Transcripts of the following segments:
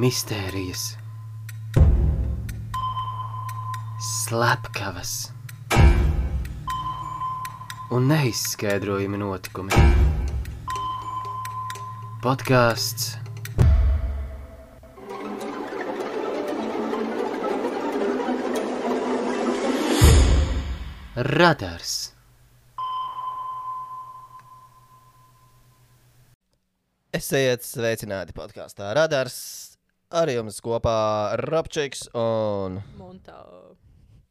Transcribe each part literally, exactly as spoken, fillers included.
Mistērijas, slepkavas un neizskaidrojami notikumi. Podkāsts Radars. Esiet sveicināti podkāstā Radars. Ar jums kopā Robčiks un... Montā.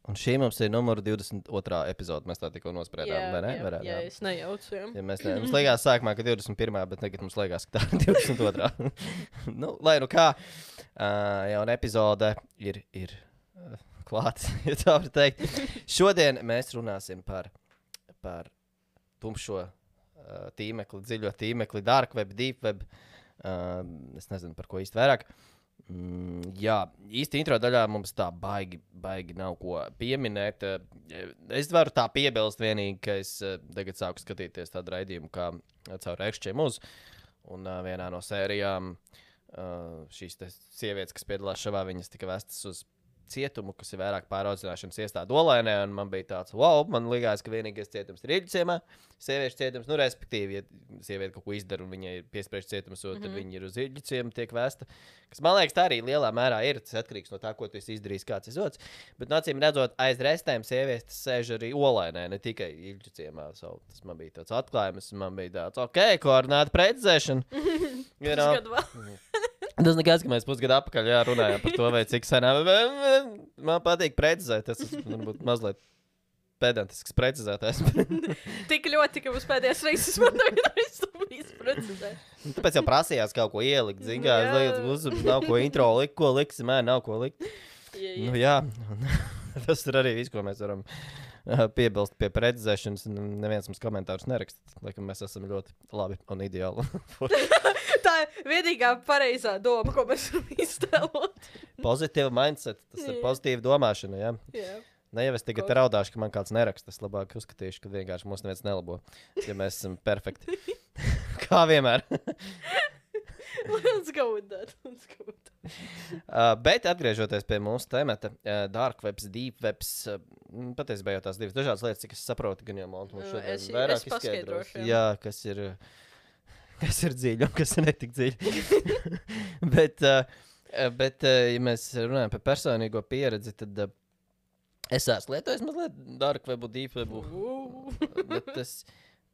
Un šī mums ir numur divdesmit otrā epizode. Mēs tā tikko nospriedām, Jā, vai ne? jā, Varētu, jā, es nejaucu, jā. Ja mēs ne... Mums liekas sākumā, ka divdesmit pirmā, bet tagad mums liekas, ka tā ir divdesmit otrā. Nu, lai nu kā, uh, jauna epizode ir, ir uh, klāts, ja tā var teikt. Šodien mēs runāsim par, par tumšo uh, tīmekli, dziļo tīmekli, dark web, deep web. Uh, es nezinu, par ko īsti vairāk. Mm, jā, īsti intro daļā mums tā baigi, baigi nav ko pieminēt. Es varu tā piebilst vienīgi, ka es tagad sāku skatīties tādu raidījumu kā caur Ekšķiem uz. Un uh, vienā no sērijām uh, šīs te sievietes, kas piedalās šavā, viņas tika vestas uz cietumu, kas ir vairāk pāraudzināšanas iestāde Olainē, un man bija tāds, wow, man likās, ka vienīgais cietums ir Iļģiciemā, sieviešu cietums, nu, respektīvi, ja sieviete kaut ko izdara un viņai ir piespriežts cietums, mm -hmm. tad viņi ir uz Iļģiciemu tiek vēsta, kas, man liekas, tā arī lielā mērā ir, tas atkarīgs no tā, ko tu esi izdarījis, kāds ir zots, bet, no acīm redzot, aiz restēm sievietes sēž arī Olainē, ne tikai Iļģiciemā, so, tas man bija tāds atklājums, man bija tāds, ok, koordināta precizēšana, you know. Tas nekas, ka mēs pusgadu apakaļ jā, runājām par to, vai cik senā. Man patīk precizēt, tas ir varbūt mazliet pedantisks precizētājs. Tik ļoti, ka mums pēdējās reizes man tagad visu precizēt. Tāpēc jau prasījās kaut ko ielikt, zin kā, es liekas, mums nav ko intro likt, ko likt, man nav ko likt. Jā, jā. Nu jā, tas ir arī viss, ko mēs varam piebilst pie precizēšanas, un neviens mums komentārus nerakst, laikam mēs esam ļoti labi un ideāli. Tā ir vienīgā pareizā doma, ko mēs varam iztēlot. Pozitīva mindset, tas ir pozitīva domāšana, jā. Jā. Ne jau es tagad raudāšu, ka man kāds neraksta, es labāk uzskatīšu, ka vienkārši mūs neviens nelabo, ja mēs esam perfekti. Kā vienmēr. Let's go with that, let's go with that. Uh, bet atgriežoties pie mūsu temata, uh, dark webs, deep webs, uh, patiesībā jau tās divas dažādas lietas, cik es saprotu, gan jau Montu mums šodien Es- vairāk es paskaidrošu, jā. Jā, kas ir, kas ir dziļi un kas ir netik dziļi. bet, uh, bet uh, ja mēs runājam par personīgo pieredzi, tad uh, es esmu lietojis mazliet dark webu, deep webu, bet es...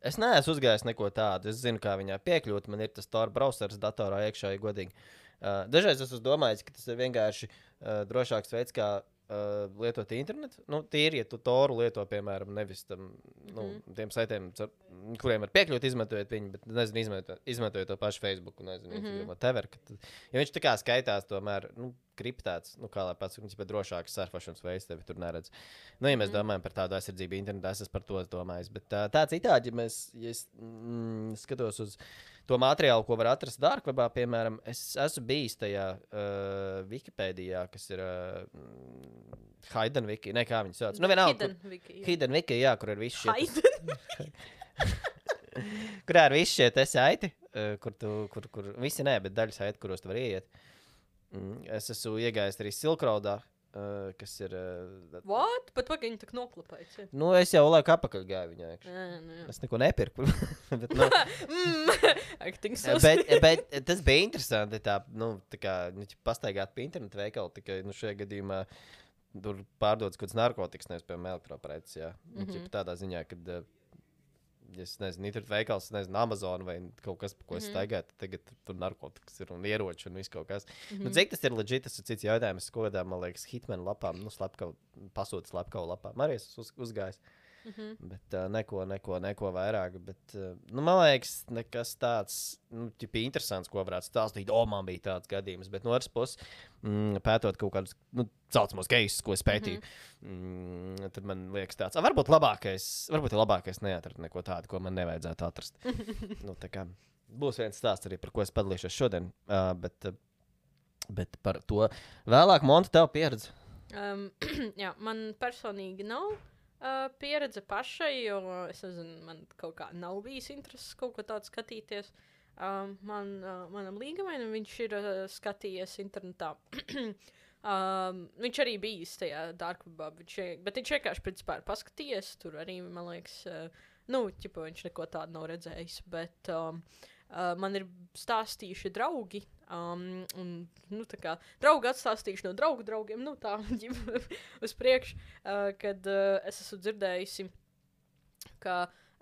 Es neesmu uzgājis neko tādu. Es zinu, kā viņā piekļūt. Man ir tas Tor browsers datorā iekšā, ja godīgi. Uh, dažreiz es esmu domājis, ka tas ir vienkārši uh, drošāks veids, kā uh, lietot internetu. Nu, tīri, ja tu Toru lieto, piemēram, nevis tam, nu, mm. tiem saitiem, kuriem var piekļūt, izmantojot viņu, bet, nezinu, izmantojot, izmantojot to pašu Facebooku, nezinu, mm -hmm. whatever. Kad, ja viņš tā kā skaitās tomēr, nu, kriptēts, nu, kā lai pats, viņš ir drošāks surfašanas veids, tevi tur neredz. Nu, ja mēs mm. domājam par tādu aizsardzību internetā, es esmu par to domājis, bet tā, tā citādi, ja mēs, ja es mm, skatos uz to materiālu, ko var atrast dark webā, piemēram, es esmu bijis tajā uh, Wikipēdijā, kas ir uh, Hidden Wiki, ne, kā viņi sauc. Nu, vienalga, Hidden kur, Wiki, jā. Hidden Wiki, jā, kur ir visi šie... Hidden. Kurā ir visi šie te saiti, uh, kur tu, kur, kur, visi nē, bet daļa saiti, kuros tu var ieiet. Mm, es esmu iegājis arī Silk Roadā, uh, kas ir... Uh, What? Pat pagaini tak noklapēts, jā. nu, es jau laiku apakaļ gāju viņā. Nē, nu jā. Es neko nepirku. bet, nu, Mm, acting so bet, bet tas bija interesanti, tā, nu, tā kā, nu, pastaigāt pie internetu veikalu, tikai, nu, šajā gadījumā tur pārdodas kaut kāds narkotikas, nevis, piemēram, elektropreces, jā. Mm -hmm. Tādā ziņā, kad, uh, ja es nezinu, internetu veikals, nezinu, Amazon vai kaut kas, pa ko es staigāju, tad tagad tur narkotikas ir un ieroči un viss kaut kas. Mm -hmm. Nu, cik tas ir legit, tas ir cits jautājums, es kodām, man liekas, Hitman lapām, nu, slepkavu, pasūta slepkavu lapām, arī es uz, uzgājis. Mm -hmm. Bet uh, neko, neko, neko vairāk. Bet, uh, nu, man liekas, nekas tāds, nu, tipi interesants, ko varētu stāstīt. O, man bija tāds gadījums. Bet no otras puses, mm, pētot kaut kādus, nu, saucamos cases, ko es pētīju, mm -hmm. mm, tad man liekas tāds, a, varbūt labākais, varbūt ir labākais neatrast neko tādu, ko man nevajadzētu atrast. nu, tā kā būs viens stāsts arī, par ko es padalīšos šodien. Uh, bet, uh, bet par to vēlāk, Monta, tev pieredze. Um, jā, man personīgi nav uh, pieredze pašai, jo es nezinu, man kaut kā nav bijis intereses kaut ko tādu skatīties. um, man, uh, manam līgavainam, viņš ir uh, skatījies internetā. um, viņš arī bijis tajā darkvebā, viņš, bet viņš vienkārši principā ir paskatījies. Tur arī, man liekas, uh, nu, ķipa, viņš neko tādu nav redzējis, bet um, uh, man ir stāstījuši draugi, um, un, nu, tā kā draugi atstāstījuši no draugu draugiem, nu, tā, uz priekšu, uh, kad uh, es esmu dzirdējusi, ka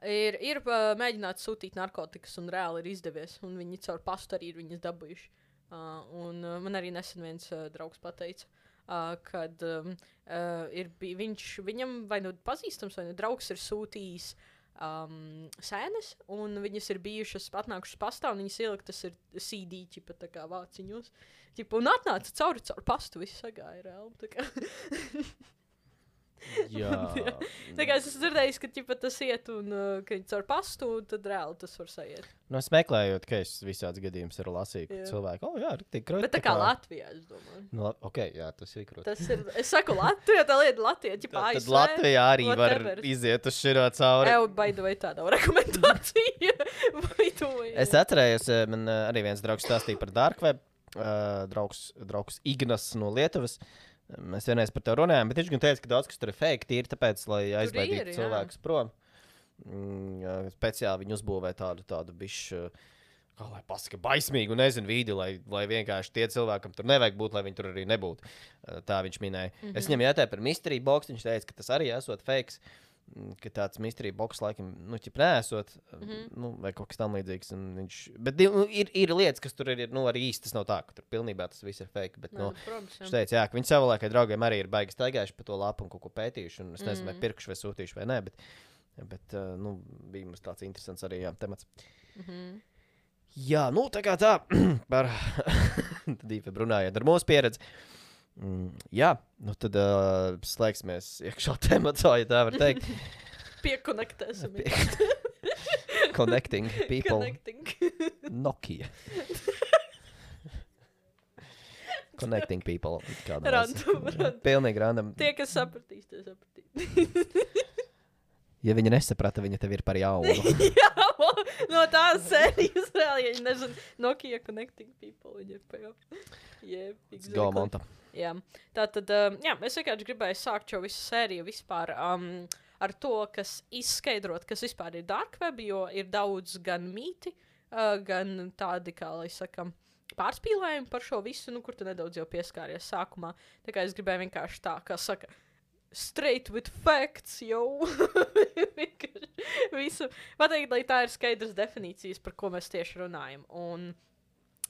ir, ir uh, mēģināts sūtīt narkotikas, un reāli ir izdevies, un viņi caur pastu arī ir viņas dabūjuši. Uh, un uh, man arī nesen viens uh, draugs pateica, uh, kad um, uh, ir bij, viņš, viņam vai nu pazīstams, vai nu draugs ir sūtījis Um, sēnes, un viņas ir bijušas atnākušas pastā, un viņas ieliktas ir C D, ķipa, tā kā vāciņos. Ķipa, un atnāca cauri, cauri pastu, viss sagāja reāli, tā kā. Jā. Tā kā es esmu dzirdējis, ka ķipa, tas iet, un uh, ka viņi caur pastu, tad reāli tas var sajiet. Nu, es meklējot, ka es visāds gadījums ir lasīju, ka Jā. cilvēki, oh, jā, tik kroti. Bet tā kā Latvijā, es domāju. Nu, ok, jā, tas ir kroti. Tas ir, es saku Latvijā, tā lieta Latvijā, ķipa, Tad A S V. Latvijā arī whatever. var iziet uz širo cauri. Ew, by the way, tā nav rekomendācija. By the way. Es atcerējos, eh, man eh, arī viens draugs stāstīja par Dark Web. Uh, draugs, draugs Ignas no Lietuvas. Mēs vienreiz par to runājām, bet viņš gan teica, ka daudz kas tur ir fake, tīri tāpēc, lai aizbaidītu ir, jā. cilvēkus prom. Mm, jā, speciāli viņi uzbūvē tādu, tādu bišķi, kā lai pasaka, baismīgu, nezinu, vidi, lai, lai vienkārši tie cilvēkam tur nevajag būt, lai viņi tur arī nebūtu. Uh, Tā viņš minēja. Mm -hmm. Es viņam jautāju par mystery box, viņš teica, ka tas arī esot fakes, ka tāds mystery box laikam, nu, ķip neesot, mm -hmm. nu, vai kaut kas tam līdzīgs. Viņš, bet nu, ir, ir lietas, kas tur ir, nu, arī īsti tas nav tā, ka tur pilnībā tas viss ir fake, bet, nu, Protams, viņš teica, jā, ka viņi savulaik draugiem arī ir baigi staigājuši pa to lapu un kaut ko pētījuši, un es nezinu, Mhm. vai pirkuši vai sūtījuši vai nē, bet, bet uh, nu, bija mums tāds interesants arī, jā, temats. Mhm. Jā, nu, tā kā tā, par Dīve runājot ar mūsu pieredzi. Mm, jā, nu tad uh, slēgsimies iekšā tematā, ja tā var teikt. Piekonektēsim. Connecting people. Connecting. Nokia. Connecting people. Kādā Random, veidā. random. Pilnīgi random. Tie, kas sapratīs, tie sapratīs. Ja viņa nesaprata, viņa tev ir par jaunu. Jā, no tās sērijas reāli, ja viņi nezina, Nokia Connecting People, viņi ir pajau. Yeah, Go, Monta. Jā, tā tad, um, jā, es vienkārši gribēju sākt šo visu sēriju vispār um, ar to, kas izskaidrot, kas vispār ir dark web, jo ir daudz gan mīti, uh, gan tādi, kā lai sakam, pārspīlējumi par šo visu, nu, kur tu nedaudz jau pieskāries sākumā. Tā kā es gribēju vienkārši tā, kā saka, straight with facts, jo. Visu pateikt, lai tā ir skaidrs definīcijas, par ko mēs tieši runājam. Un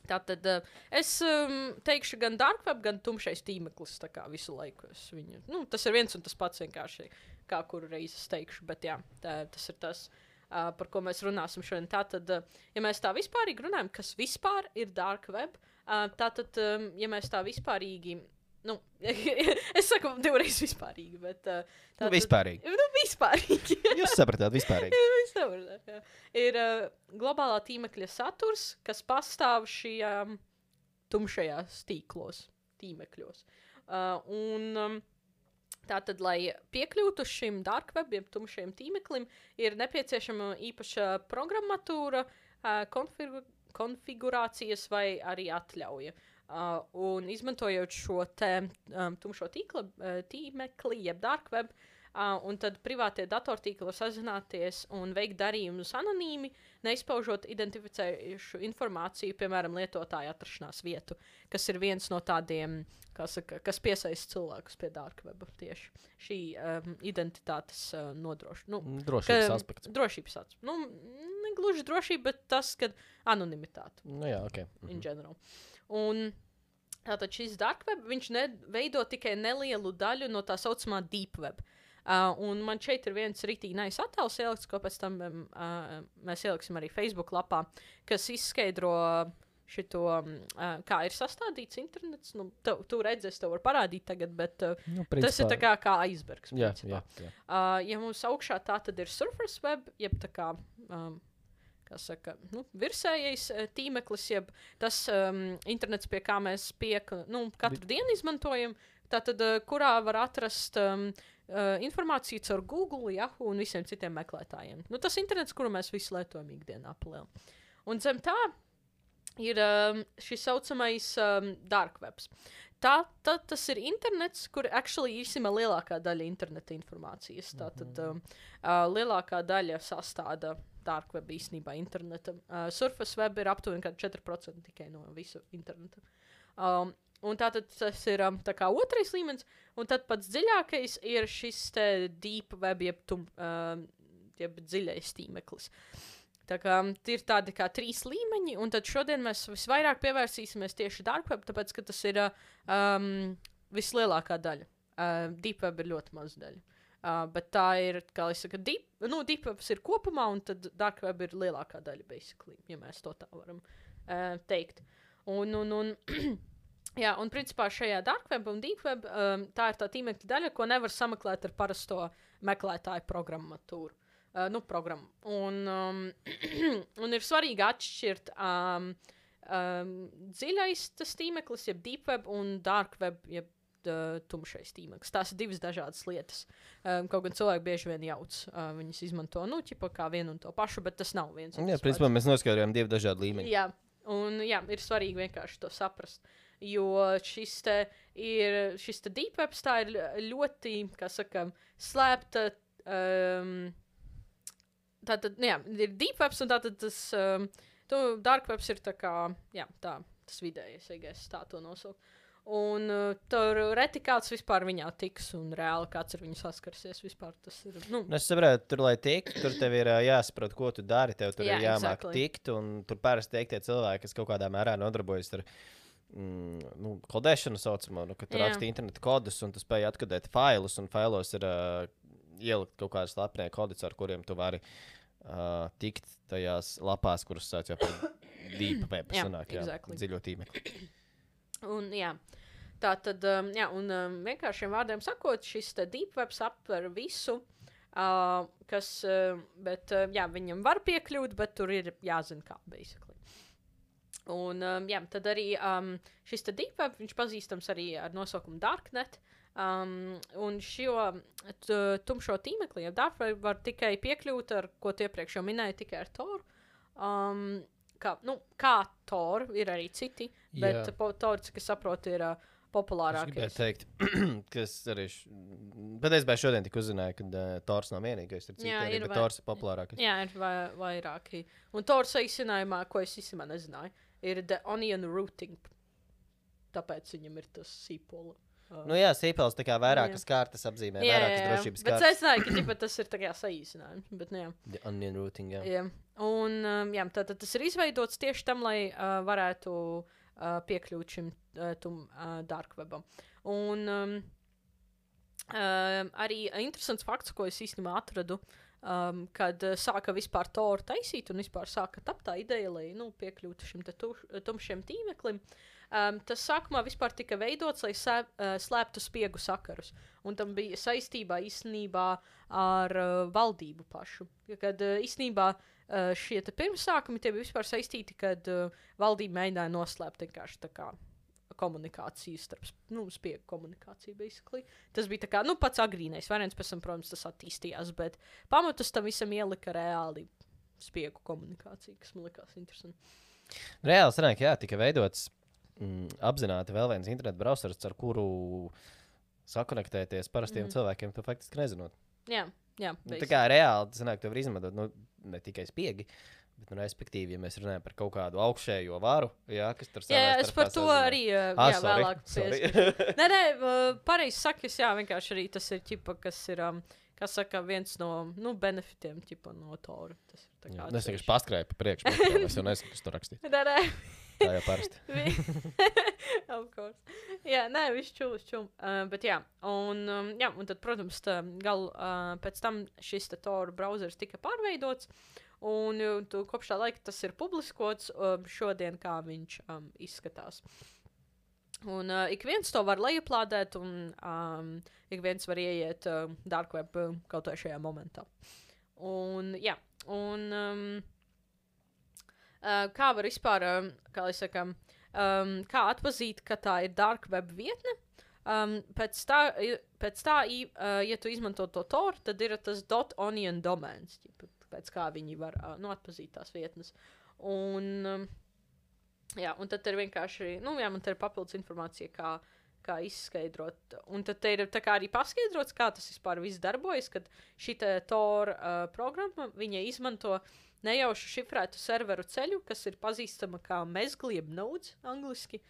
tātad uh, es um, teikšu gan dark web, gan tumšais tīmeklis, tā kā visu laiku es viņu, nu, tas ir viens un tas pats vienkārši, kā kuru reizi es teikšu, bet jā, tā, tas ir tas, uh, par ko mēs runāsim šodien. Tātad, uh, ja mēs tā vispārīgi runājam, kas vispār ir dark web, uh, tātad, um, ja mēs tā vispārīgi, nu, es saku divreiz vispārīgi, bet uh, Nu, vispārīgi. Nu, vispārīgi. Jūs sapratāt vispārīgi. Mēs sapratām, jā. Ir uh, globālā tīmekļa saturs, kas pastāv šajā um, tumšajās tīklos, tīmekļos. Uh, un um, tātad, lai piekļūtu šim dark web, jeb tumšajam tīmeklim, ir nepieciešama īpaša programmatūra, uh, konfigu konfigurācijas vai arī atļauja. Uh, un izmantojot šo te um, tumšo tīkla, uh, tīmekli, jeb dark web, uh, un tad privātie datortīkli var sazināties un veikt darījumus anonīmi, neizpaužot identificējušu informāciju, piemēram, lietotāja atrašanās vietu, kas ir viens no tādiem, kā saka, kas piesaista cilvēkus pie dark weba tieši. Šī um, identitātes uh, nodroš... Nu, Drošības ka- aspekts. Drošības aspekts. Nu, ne gluži drošība, bet tas, kad anonimitāte Nu jā, ok. in Mhm. general. Un tātad šis dark web, viņš ne, veido tikai nelielu daļu no tā saucamā deep web. Uh, un man šeit ir viens rītīgi nice attēls ielikts, ko pēc tam um, uh, mēs ieliksim arī Facebook lapā, kas izskaidro šito, um, uh, kā ir sastādīts internets. Nu, tu, tu redzi, es tev varu parādīt tagad, bet uh, Nu, tas ir tā kā, kā aizbergs. Jā, principā. jā, jā. Uh, ja mums augšā tā tad ir surface web, jeb tā kā, um, kā saka, nu, virsējais uh, tīmeklis, jeb tas um, internets, pie kā mēs piek, nu, katru dienu izmantojam, tātad, uh, kurā var atrast um, uh, informāciju caur Google, Yahoo un visiem citiem meklētājiem. Nu, tas internets, kuru mēs visi lietojam ikdienā palielin. Un zem tā ir um, šis saucamais um, dark webs. Tā, tā, tas ir internets, kur actually īstenībā lielākā daļa interneta informācijas. Tātad um, uh, lielākā daļa sastāda dark web īstenībā interneta. Uh, Surface web ir aptuveni četri procenti tikai no visu interneta. Um, un tātad tas ir um, tā kā otrais līmenis, un tad pats dziļākais ir šis te deep web, jeb, tum, um, jeb dziļais tīmeklis. Tā kā ir tādi kā trīs līmeņi, un tad šodien mēs visvairāk pievērsīsimies tieši dark web, tāpēc, ka tas ir um, vislielākā daļa. Uh, deep web ir ļoti maz daļa. Uh, bet tā ir, kā es saku, deep, nu, deep webs ir kopumā, un tad dark web ir lielākā daļa, basically, ja mēs to tā varam uh, teikt. Un, un, un, jā, un principā šajā dark web un deep web um, tā ir tā tīmekļa daļa, ko nevar sameklēt ar parasto meklētāju programmatūru. Uh, nu, programmu. Un, um, un ir svarīgi atšķirt um, um, dziļais tas tīmeklis, jeb deep web, un dark web, jeb uh, tumšais tīmeklis. Tās ir divas dažādas lietas. Um, kaut gan cilvēki bieži vien jauc. Uh, viņas izmanto, nu, ķipa kā vienu un to pašu, bet tas nav viens. Jā, principā mēs noskaidrojam divi dažādi līmeņi. Jā, un jā, ir svarīgi vienkārši to saprast. Jo šis te ir, šis te deep webs tā ir ļoti, kā saka, slēpta, um, tātad, jā, ir deep webs, un tātad tas um, tu, dark webs ir tā kā, jā, tā, tas vidējais, ja es tā to nosauku. Un uh, tur reti kāds vispār viņā tiks, un reāli kāds ar viņu saskarsies vispār. Tas ir, nu. Es saprotu, tur, lai tiktu, tur tev ir uh, jāsaprot, ko tu dari, tev tur Jā, ir jāmāk exactly. tikt, un tur parasti tiek tie cilvēki, kas kaut kādā mērā nodarbojas ar mm, nu, kodēšanu saucamo, nu, ka tu Jā. raksti interneta kodus, un tu spēj atkodēt failus, un failos ir uh, ielikt kaut kādas slepenie kodus, ar kuriem tu vari uh, tikt tajās lapās, kuras sauc jau par deep web, Jā, sanāk, jā, exactly. dziļo tīmekli. Un, jā, tā tad, um, jā, un um, vienkāršiem vārdiem sakot, šis te deep webs aptver visu, uh, kas, uh, bet, uh, jā, viņam var piekļūt, bet tur ir jāzina kā, basically. Un, um, jā, tad arī um, šis te deep web, viņš pazīstams arī ar nosaukumu Darknet, um, un šo t, tumšo tīmekli, ja dark web var tikai piekļūt ar, ko tu iepriekš jau minēji, tikai ar Tor. Um, kā, nu, kā Tor, ir arī citi, bet Jā. po, Tor, cik es saprotu, ir uh, Es populārākais. gribēju teikt, ka es arī š... patiesībā šodien tik uzzināju, ka uh, Tors nav vienīgais, ir citi Jā, arī, ir bet vai- Tors ir populārākais. Jā, ir vai, vairāki. Un Tor saīsinājumā, ko es īstenībā nezināju, ir The Onion Routing. Tāpēc viņam ir tas sīpola. Uh, Nu jā, sīpels tā kā Jā. vairākas kārtas apzīmē, jā, jā, vairākas jā. drošības Bet kārtas. es nezināju, ka ģipa, tas ir tā kā saīsinājums. Bet, nu, jā. The onion routing, jā. Jā. Un um, jā, tātad tas ir izveidots tieši tam, lai uh, varētu uh, piekļūt šim uh, tum, uh, dark webam. Un um, um, arī interesants fakts, ko es īstenībā atradu, um, kad uh, sāka vispār Tor taisīt un vispār sāka tapt tā ideja, lai nu, piekļūtu šim te tuš, tumšiem tīmeklim. Um, tas sākumā vispār tika veidots, lai sē, uh, slēptu spiegu sakarus. Un tam bija saistībā īstenībā ar uh, valdību pašu. Kad uh, īstenībā uh, šie te pirmsākumi tie bija vispār saistīti, kad uh, valdība mēģināja noslēpt vienkārši tā kā komunikāciju starp, nu, spiegu komunikāciju, basically. Tas bija tā kā, nu, pats agrīnais variants, pēc tam, protams, tas attīstījās, bet pamatus tam visam ielika reāli spiegu komunikācija, kas man likās interesanti. Reāli sanāk, jā, tika veidots mm, apzināti vēl viens internetu brausers, ar kuru sakonektēties parastiem Mhm. cilvēkiem, to faktiski nezinot. Jā, jā, Nu, tā basically. kā reāli, tas sanāk, to var izmantot, nu, ne tikai spiegi, bet, nu, respektīvi, ja mēs runājam par kaut kādu augšējo varu, jā, kas tur Jā, savā jā, es starpā par to sazina. arī uh, Ah, jā, sorry, vēlāk sorry. pieskaros. Nē, nē, uh, pareizi sakas, jā, vienkārši arī tas ir ķipa, kas ir, um, kas saka, viens no, nu, benefitiem, ķipa, no Tora. Tas ir tā Jā, kā nu, Es vienkārši atsevišķi. paskrēju pa priekšu, bet es jau nezinu, kas tur rakstīt. Nē, nē. Tā jau parasti. Vi- of course. Jā, nē, viss čūl, viss čūl. Uh, bet jā, un, um, jā, un tad, protams, tā, gal, uh, pēc tam šis te Tor brauzers tika pārveidots, un uh, tu, kopš tā laika tas ir publiskots um, šodien, kā viņš um, izskatās. Un uh, ik viens to var lejuplādēt, un um, ik viens var ieiet uh, dark web uh, kaut vai šajā momentā. Un, jā, un um, uh, kā var vispār, um, kā lai sakam, um, kā atpazīt, ka tā ir dark web vietne? Um, pēc tā, i- pēc tā i, uh, ja tu izmanto to Tor, tad ir tas .onion domains, ķipa, pēc kā viņi var uh, nu, atpazīt tās vietnes. Un, um, jā, un tad ir vienkārši, nu, jā, man te ir papildus informācija, kā, kā izskaidrot. Un tad te ir tā kā arī paskaidrots, kā tas vispār viss darbojas, kad šita Tor uh, programma, viņa izmanto nejaušu šifrētu serveru ceļu, kas ir pazīstama kā mezgli, jeb nodes angliski.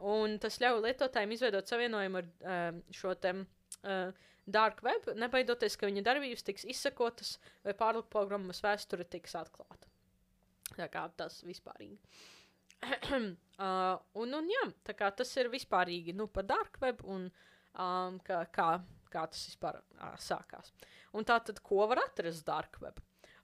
Un tas ļauj lietotājiem izveidot savienojumu ar uh, šo te uh, dark web, nebaidoties, ka viņa darbības tiks izsakotas vai pārprogrammas vēsture tiks atklāta. Tā kā tas vispārīgi. uh, un, un jā, tā kā tas ir vispārīgi, nu, par dark web un um, kā, kā, kā tas vispār uh, sākās. Un tā tad, ko var atrast dark web?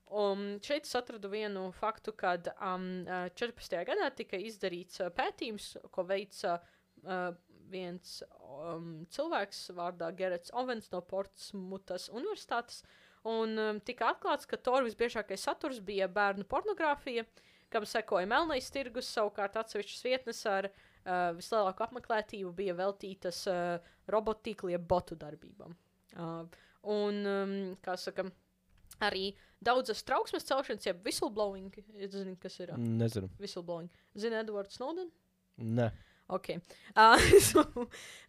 Um, šeit es atradu vienu faktu, kad um, četrpadsmitajā gadā tika izdarīts uh, pētījums, ko veica uh, viens um, cilvēks vārdā Gerets Ovens no Portsmutas universitātes, un um, tika atklāts, ka Tor visbiežākais saturs bija bērnu pornogrāfija, kam sekoja melnais tirgus, savukārt atsevišķas vietnes ar uh, vislielāku apmeklētību bija veltītas uh, robotīkli jeb botu darbībām. Uh, un, um, kā saka, arī daudzas trauksmes celšanas, jeb whistleblowing, es zinu, kas ir uh, Nezinu. whistleblowing. Zini Edward Snowden? Nē. Ok. Uh, so,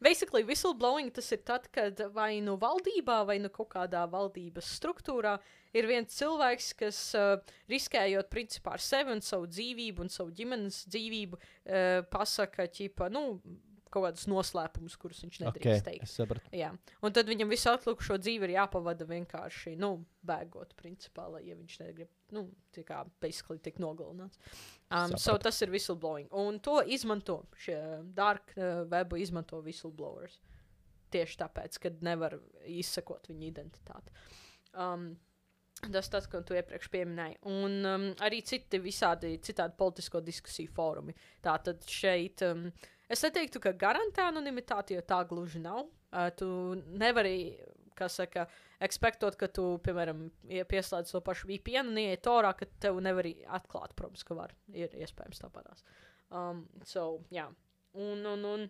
basically, whistleblowing tas ir tad, kad vai nu valdībā, vai nu kaut kādā valdības struktūrā ir viens cilvēks, kas uh, riskējot principā ar sevi un savu dzīvību un savu ģimenes dzīvību, uh, pasaka, ķipa, nu, kaut kādus noslēpumus, kurus viņš nedrīkst Ok, teikt. es sapratu. Jā. Un tad viņam visu atlikušo dzīvi ir jāpavada vienkārši, nu, bēgot, principā, lai, ja viņš negrib, nu, tā kā, basically, tik nogalināts. Um, so Sapratu. tas ir whistleblowing. Un to izmanto, šie dark uh, webu izmanto whistleblowers. Tieši tāpēc, kad nevar izsakot viņa identitāti. Um, tas tas, ko tu iepriekš pieminēji. Un um, arī citi visādi, citādi politisko diskusiju fórumi. Tātad šeit, um, es neteiktu, ka garantē anonimitāti, jo tā gluži nav. Uh, tu nevari, kā saka, ekspektot, ka tu, piemēram, ja pieslēdz to pašu V P N un ieiet Torā, ka tev nevar atklāt, protams, ka var. Ir iespējams tāpatās. Um, so, jā. Un, un, un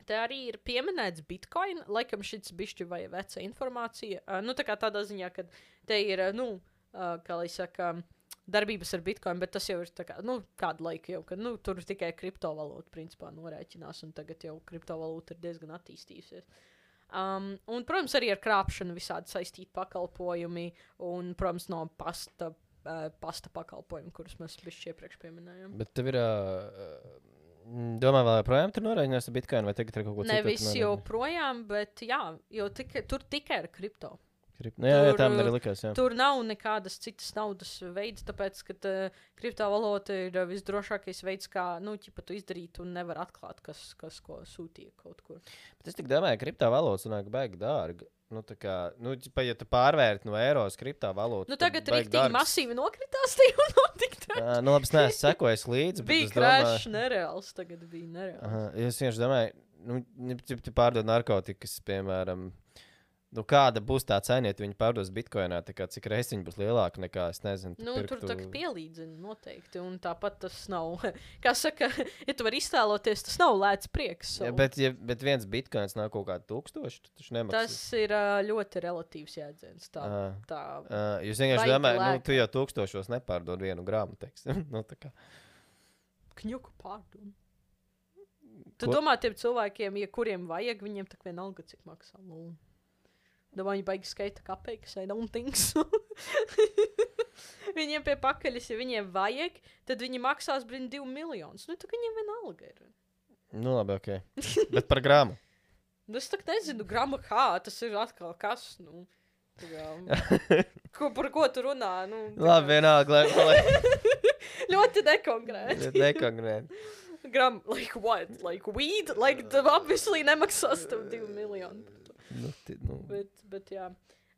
te arī ir pieminēts Bitcoin. Laikam šis bišķi vai veca informācija. Uh, nu, tā kā tādā ziņā, ka te ir, uh, nu, uh, kā lai saka, darbības ar Bitcoin, bet tas jau ir tā kā, nu, kādu laiku jau, ka, nu, tur tikai kriptovalūta, principā, norēķinās, un tagad jau kriptovalūta ir diezgan attīstījusies. Um, un, protams, arī ar krāpšanu visādi saistīti pakalpojumi, un, protams, no pasta, uh, pasta pakalpojumi, kurus mēs bišķi iepriekš pieminējām. Bet tev ir, uh, domā, vēl joprojām tur norēķinās ar Bitcoin, vai tagad ir kaut ko citu? Nevis joprojām, bet jā, jo tika, tur tikai ar kripto. Krip... Nu, jā, jā, Tur, tā man arī likās, jā. Tur nav nekādas citas naudas veids, tāpēc, ka uh, kriptovalūta ir uh, visdrošākais veids, kā, nu, ķipa tu izdarīt un nevar atklāt, kas, kas ko sūtīja kaut kur. Bet es tik domāju, ka kriptovalūta sanāk baigi dārga. Nu, tā kā, nu, ķipa, ja tu pārvērti no eiro uz kriptovalūtu, Nu, tagad rīktīgi masīvi nokritās, tie jau notikt. Uh, nu, labi, es neesmu sekojis līdzi, bet Bija es domāju... crash nereāls, tagad bija nereāls. Aha, es vienkārši domāju, nu, ja tu pārdod narkotikas, piemēram, nu, kāda būs tā cena, ja viņi pārdos bitkoinā, tā kā cik reizes viņi būs lielāka nekā, es nezinu, tu Nu, pirktu... tur tā kā pielīdzina noteikti, un tāpat tas nav, kā saka, ja tu vari iztēloties, tas nav lēts prieks. So. Ja, bet, ja, bet viens bitkoins nav kaut kāda tūkstoši, tu taču nemaksā. Tas ir uh, ļoti relatīvs jēdziens. Tā, Aha. tā. Uh, jūs vienkārši Baigi domājat, nu, lēka. tu jau tūkstošos nepārdod vienu grāmu, teiksim. nu, tā kā. Kņuku pārdod. Tu Ko? domā tiem cilvēkiem, ja kuriem vajag, viņiem tak vienalga, cik maksā. Nu, domā, viņi baigi skaita kapeikas, I don't think so. Viņiem pie pakaļas, ja viņiem vajag, tad viņi maksās brīn divu miljonus. Nu, tak viņiem vienalga ir. Nu, labi, ok. Bet par grāmu. Nu, es tak nezinu, grama kā, tas ir atkal kas, nu. tā kā, Ko, par ko tu runā? Nu, tā kā- Labi, vienalga, lai... lai... Ļoti nekonkrēti. Nekonkrēt. Gram, like what? Like weed? Like, tev obviously nemaksās tev divu miljonu. Nu, ti, nu. Bet, bet jā.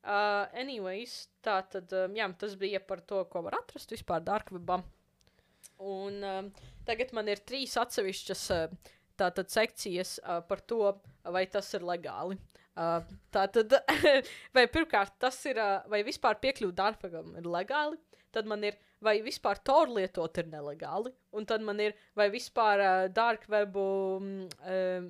Uh, anyways, tā tad, um, jā, tas bija par to, ko var atrast vispār darkwebā. Un um, tagad man ir trīs atsevišķas uh, tātad sekcijas uh, par to, vai tas ir legāli. Uh, tātad, vai pirmkārt, tas ir, uh, vai vispār piekļūt darkwebam ir legāli. Tad man ir, vai vispār Tor lietot ir nelegāli. Un tad man ir, vai vispār uh, darkwebu um,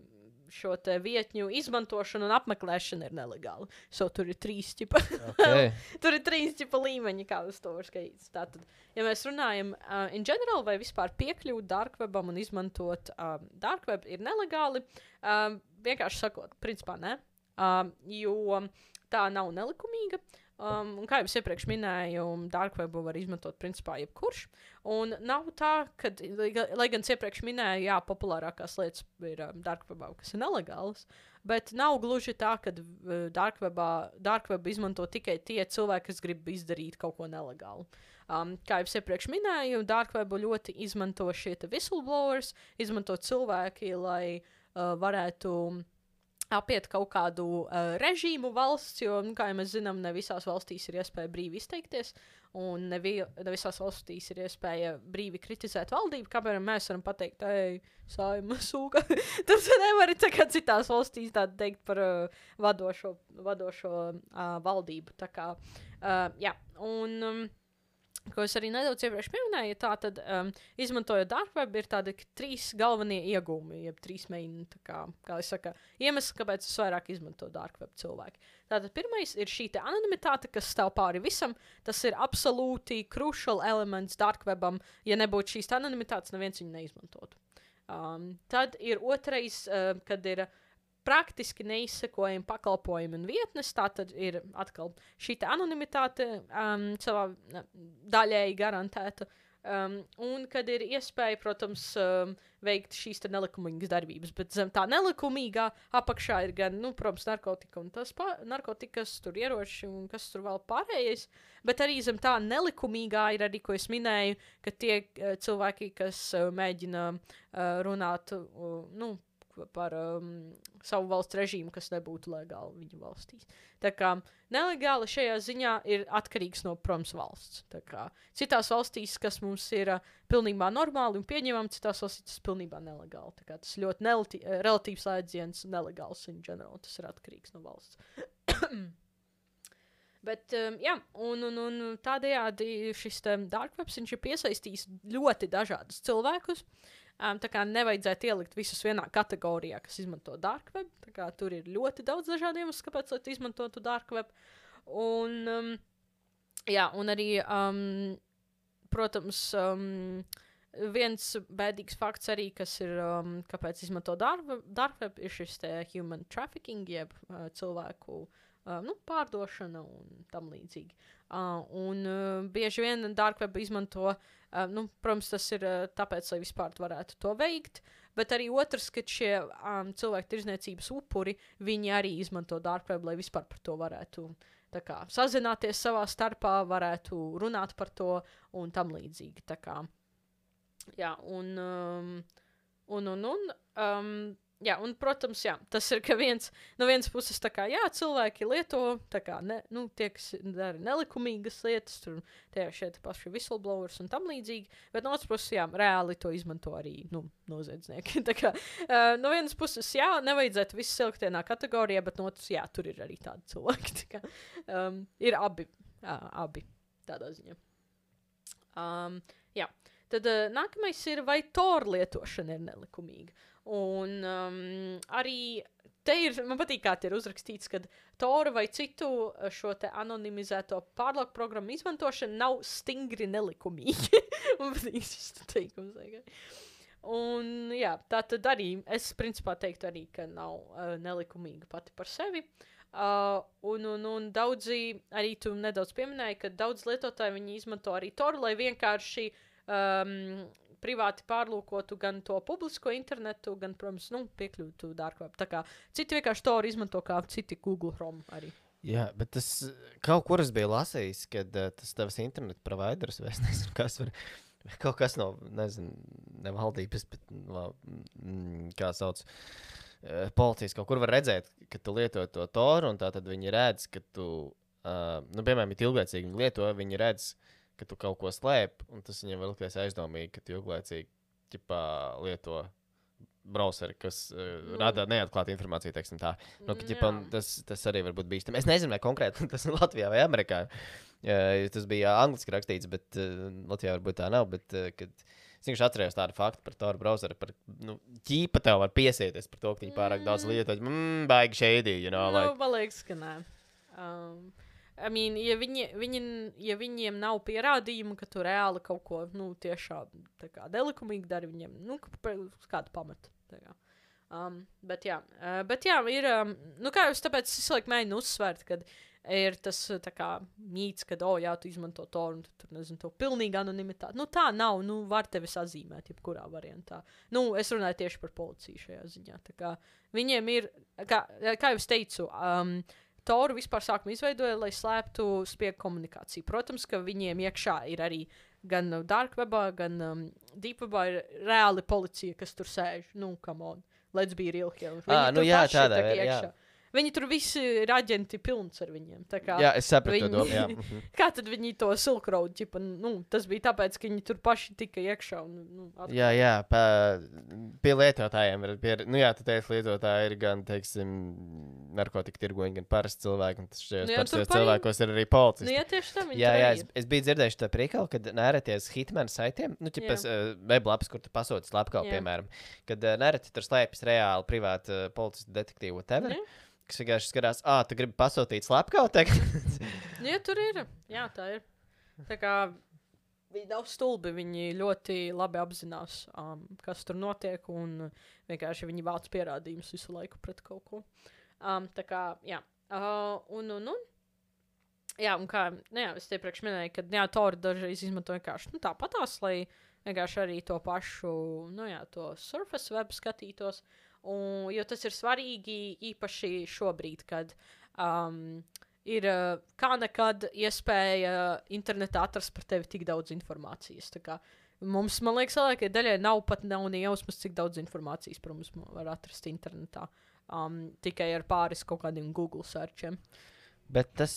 šo te vietņu izmantošana un apmeklēšana ir nelegāla. So, tur ir trīs ķipa. Okay. Tur ir trīs ķipa līmeņi, kā uz to var skatīties. Tātad, ja mēs runājam uh, in general, vai vispār piekļūt darkwebam un izmantot um, darkweb ir nelegāli, um, vienkārši sakot, principā ne, um, jo tā nav nelikumīga. Um, un kā jau es iepriekš minēju, darkwebu var izmantot principā jebkurš. Un nav tā, ka, lai gan es iepriekš minēju, jā, populārākās lietas ir um, darkwebā, kas ir nelegālas, bet nav gluži tā, ka uh, darkwebā, darkwebu izmanto tikai tie cilvēki, kas grib izdarīt kaut ko nelegālu. Um, kā jau es iepriekš minēju, darkwebu ļoti izmanto šie whistleblowers, izmanto cilvēki, lai uh, varētu apiet kaut kādu uh, režīmu valsts, jo, nu, kā jau mēs zinām, ne visās valstīs ir iespēja brīvi izteikties, un ne, vi, ne visās valstīs ir iespēja brīvi kritizēt valdību, kāpēc mēs varam pateikt, ej, Saeima sūka. Tur tu nevari tā kā citās valstīs tā teikt par uh, vadošo, vadošo uh, valdību. Tā kā, uh, jā, un... Um, ko es arī nedaudz iepriekš pieminēju, tā tad, um, izmantojot darkweb, ir tādi trīs galvenie iegūmi, jeb trīs main, tā kā, kā es saka, iemesli, kāpēc es vairāk izmantoju darkweb cilvēki. Tātad pirmais ir šī te anonimitāte, kas stāv pāri visam, tas ir absolūti crucial elements darkwebam, ja nebūtu šīs anonimitātes, neviens viņu neizmantotu. Um, tad ir otrais, uh, kad ir praktiski neizsekojami pakalpojumi un vietnes, tā tad ir atkal šī anonimitāte um, savā daļēji garantēta, um, un kad ir iespēja, protams, um, veikt šīs te nelikumīgas darbības, bet zem tā nelikumīgā apakšā ir gan, nu, protams, narkotika un tas pā, narkotikas, tur ieroči un kas tur vēl pārējais, bet arī zem tā nelikumīgā ir arī, ko es minēju, ka tie uh, cilvēki, kas uh, mēģina uh, runāt, uh, nu, par um, savu valsts režīmu, kas nebūtu legāli viņu valstīs. Tā kā nelegāli šajā ziņā ir atkarīgs no, protams, valsts. Tā kā citās valstīs, kas mums ir uh, pilnībā normāli un pieņemami, citās valstīs tas pilnībā nelegāli. Tā kā tas ļoti nelati, uh, relatīvs slēdziens nelegāls in general. Tas ir atkarīgs no valsts. Bet, um, jā, un, un, un tādējādi šis darkwebs, viņš ir piesaistījis ļoti dažādus cilvēkus. Um, tā kā nevajadzētu ielikt visus vienā kategorijā, kas izmanto darkweb. Tā kā tur ir ļoti daudz dažādu iemeslu, kāpēc, lai tu izmantotu darkweb. Un, um, jā, un arī, um, protams, um, viens bēdīgs fakts arī, kas ir, um, kāpēc izmanto darkweb, darkweb, ir šis te human trafficking, jeb uh, cilvēku uh, nu, pārdošana un tam līdzīgi. Uh, un uh, bieži vien darkweb izmanto, uh, nu, protams, tas ir uh, tāpēc, lai vispār varētu to veikt, bet arī otrs, ka šie um, cilvēku tirzniecības upuri, viņi arī izmanto darkweb, lai vispār par to varētu tā kā sazināties savā starpā, varētu runāt par to un tam līdzīgi. Tā kā, jā, un, um, un, un, un, um, jā, un, protams, jā, tas ir, ka viens, no vienas puses, tā kā, jā, cilvēki lieto, tā kā, ne, nu, tie, kas dara nelikumīgas lietas, tur tie šeit paši whistleblowers un tam līdzīgi, bet no otras puses, jā, reāli to izmanto arī, nu, noziedznieki. Tā kā, uh, no vienas puses, jā, nevajadzētu visu silikt vienā kategorijā, bet no otras, jā, tur ir arī tādi cilvēki, tā kā, um, ir abi, jā, abi, tādā ziņā. Um, jā, tad uh, nākamais ir, vai Tor lietošana ir nelikumīga. Un um, arī te ir, man patīk, kā te ir uzrakstīts, ka Tor vai citu šo te anonimizēto pārlauku programmu izmantošana nav stingri nelikumīgi. Man patīk šis teikums. Un jā, tā tad arī, es principā teiktu arī, ka nav uh, nelikumīga pati par sevi. Uh, un, un, un daudzi, arī tu nedaudz pieminēji, ka daudz lietotāji viņi izmanto arī Tor, lai vienkārši um, privāti pārlūkotu gan to publisko internetu, gan, protams, nu, piekļūtu darkweb. Tā kā citi vienkārši to izmanto kā citi Google Chrome arī. Jā, bet tas kaut kur es biju lasījis, kad uh, tas tavs internetu providers, vai es nezinu, kas var, kaut kas no, nezinu, ne valdības, bet, no, mm, kā sauc, uh, policijas kaut kur var redzēt, ka tu lieto to Toru, un tā tad viņi redz, ka tu, uh, nu, piemēram, ja ilglaicīgi viņi lieto, viņi redz, ka tu kaut ko slēp, un tas viņam var likties aizdomīgi, ka tu ilglaicīgi ķipā lieto browseri, kas uh, mm. rada neatklātu informāciju, teiksim tā. Nu, ka, ķipā, tas, tas arī var būt bīstami. Es nezinu, vai konkrēti tas ir Latvijā vai Amerikā. Uh, tas bija angliski rakstīts, bet uh, Latvijā varbūt tā nav, bet uh, kad Es vienkārši atceros tādu faktu par Tor browseru, par, nu, ķīpa tev var piesieties par to, ka viņi pārāk daudz lietot. Mmm, baigi shady, you know, like. Nu, man liekas, ka nē. Um, I mean, ja, viņi, viņi, ja viņiem nav pierādījumu, ka tu reāli kaut ko, nu, tiešām tā kā nelikumīgi dari viņiem, nu, kādu pamatu. Tā kā. Um, bet jā, uh, bet jā, ir, um, nu kā jūs tāpēc es laik mēģinu uzsvērt, kad ir tas tā kā mīts, kad, o, jā, tu izmanto to un tu, tur, nezinu, to pilnīgi anonimitāti. Nu, tā nav, nu, var tevi sazīmēt, jebkurā variantā. Nu, es runāju tieši par policiju šajā ziņā. Tā kā viņiem ir, kā, kā jau es teicu, um, Toru vispār sākumā izveidoja, lai slēptu spiegu komunikāciju. Protams, ka viņiem iekšā ir arī gan dark webā, gan um, deep webā ir reāli policija, kas tur sēž. Nu, come on. Let's be real here. Viņi Ah, nu tur jā, paši ir tādā tā kā veidā, jā. iekšā. Viņi tur visi ir aģenti pilns ar viņiem. Tā kā, Jā, es sapratu viņi- to domu, jā. Mhm. kā tad viņi to Silk Road, ģipa, nu, tas bija tāpēc, ka viņi tur paši tika iekšā un, nu, atkal. Jā, jā, pa, pie lietotājiem ir, pie, nu jā, tu teici, lietotāji ir gan, teiksim, narkotika tirgoņi, gan parasti cilvēki, un tas šajos Nu jā, tur parastajos paņem- cilvēkos ir arī policisti. Nu, jā, tieši tā viņi Jā, tur jā, arī es, ir. es biju dzirdējis to priekalu, kad nērēties hitmanu saitiem, nu, ķipas, uh, weblaps, kur tu pasūti slepkavu, Jā. piemēram, kad uh, nērēti tur slēpjas reāli privāti uh, policistu detektīvu whatever, Jā. kas vienkārši skatās, ā, tu gribi pasūtīt slepkavu, tagad? Nu, jā, tur ir. Jā, tā ir. Tā kā viņi nav stulbi, viņi ļoti labi apzinās, um, kas tur notiek, un vienkārši viņi vāc pierādījumus visu laiku pret kaut ko. Um, tā kā, jā. Uh, un, un, un. Jā, un kā, nu jā, es te priekš minēju, ka, jā, Tori dažreiz izmanto vienkārši, nu, tāpatās, lai vienkārši arī to pašu, nu, jā, to Surface web skatītos, un, jo tas ir svarīgi īpaši šobrīd, kad um, ir uh, kā nekad iespēja internetā atrast par tevi tik daudz informācijas. Tā kā mums, man liekas, lielākajai daļai nav pat nav ne jausmas, cik daudz informācijas par mums var atrast internetā. Um, tikai ar pāris kaut kādiem Google searchiem. Bet tas,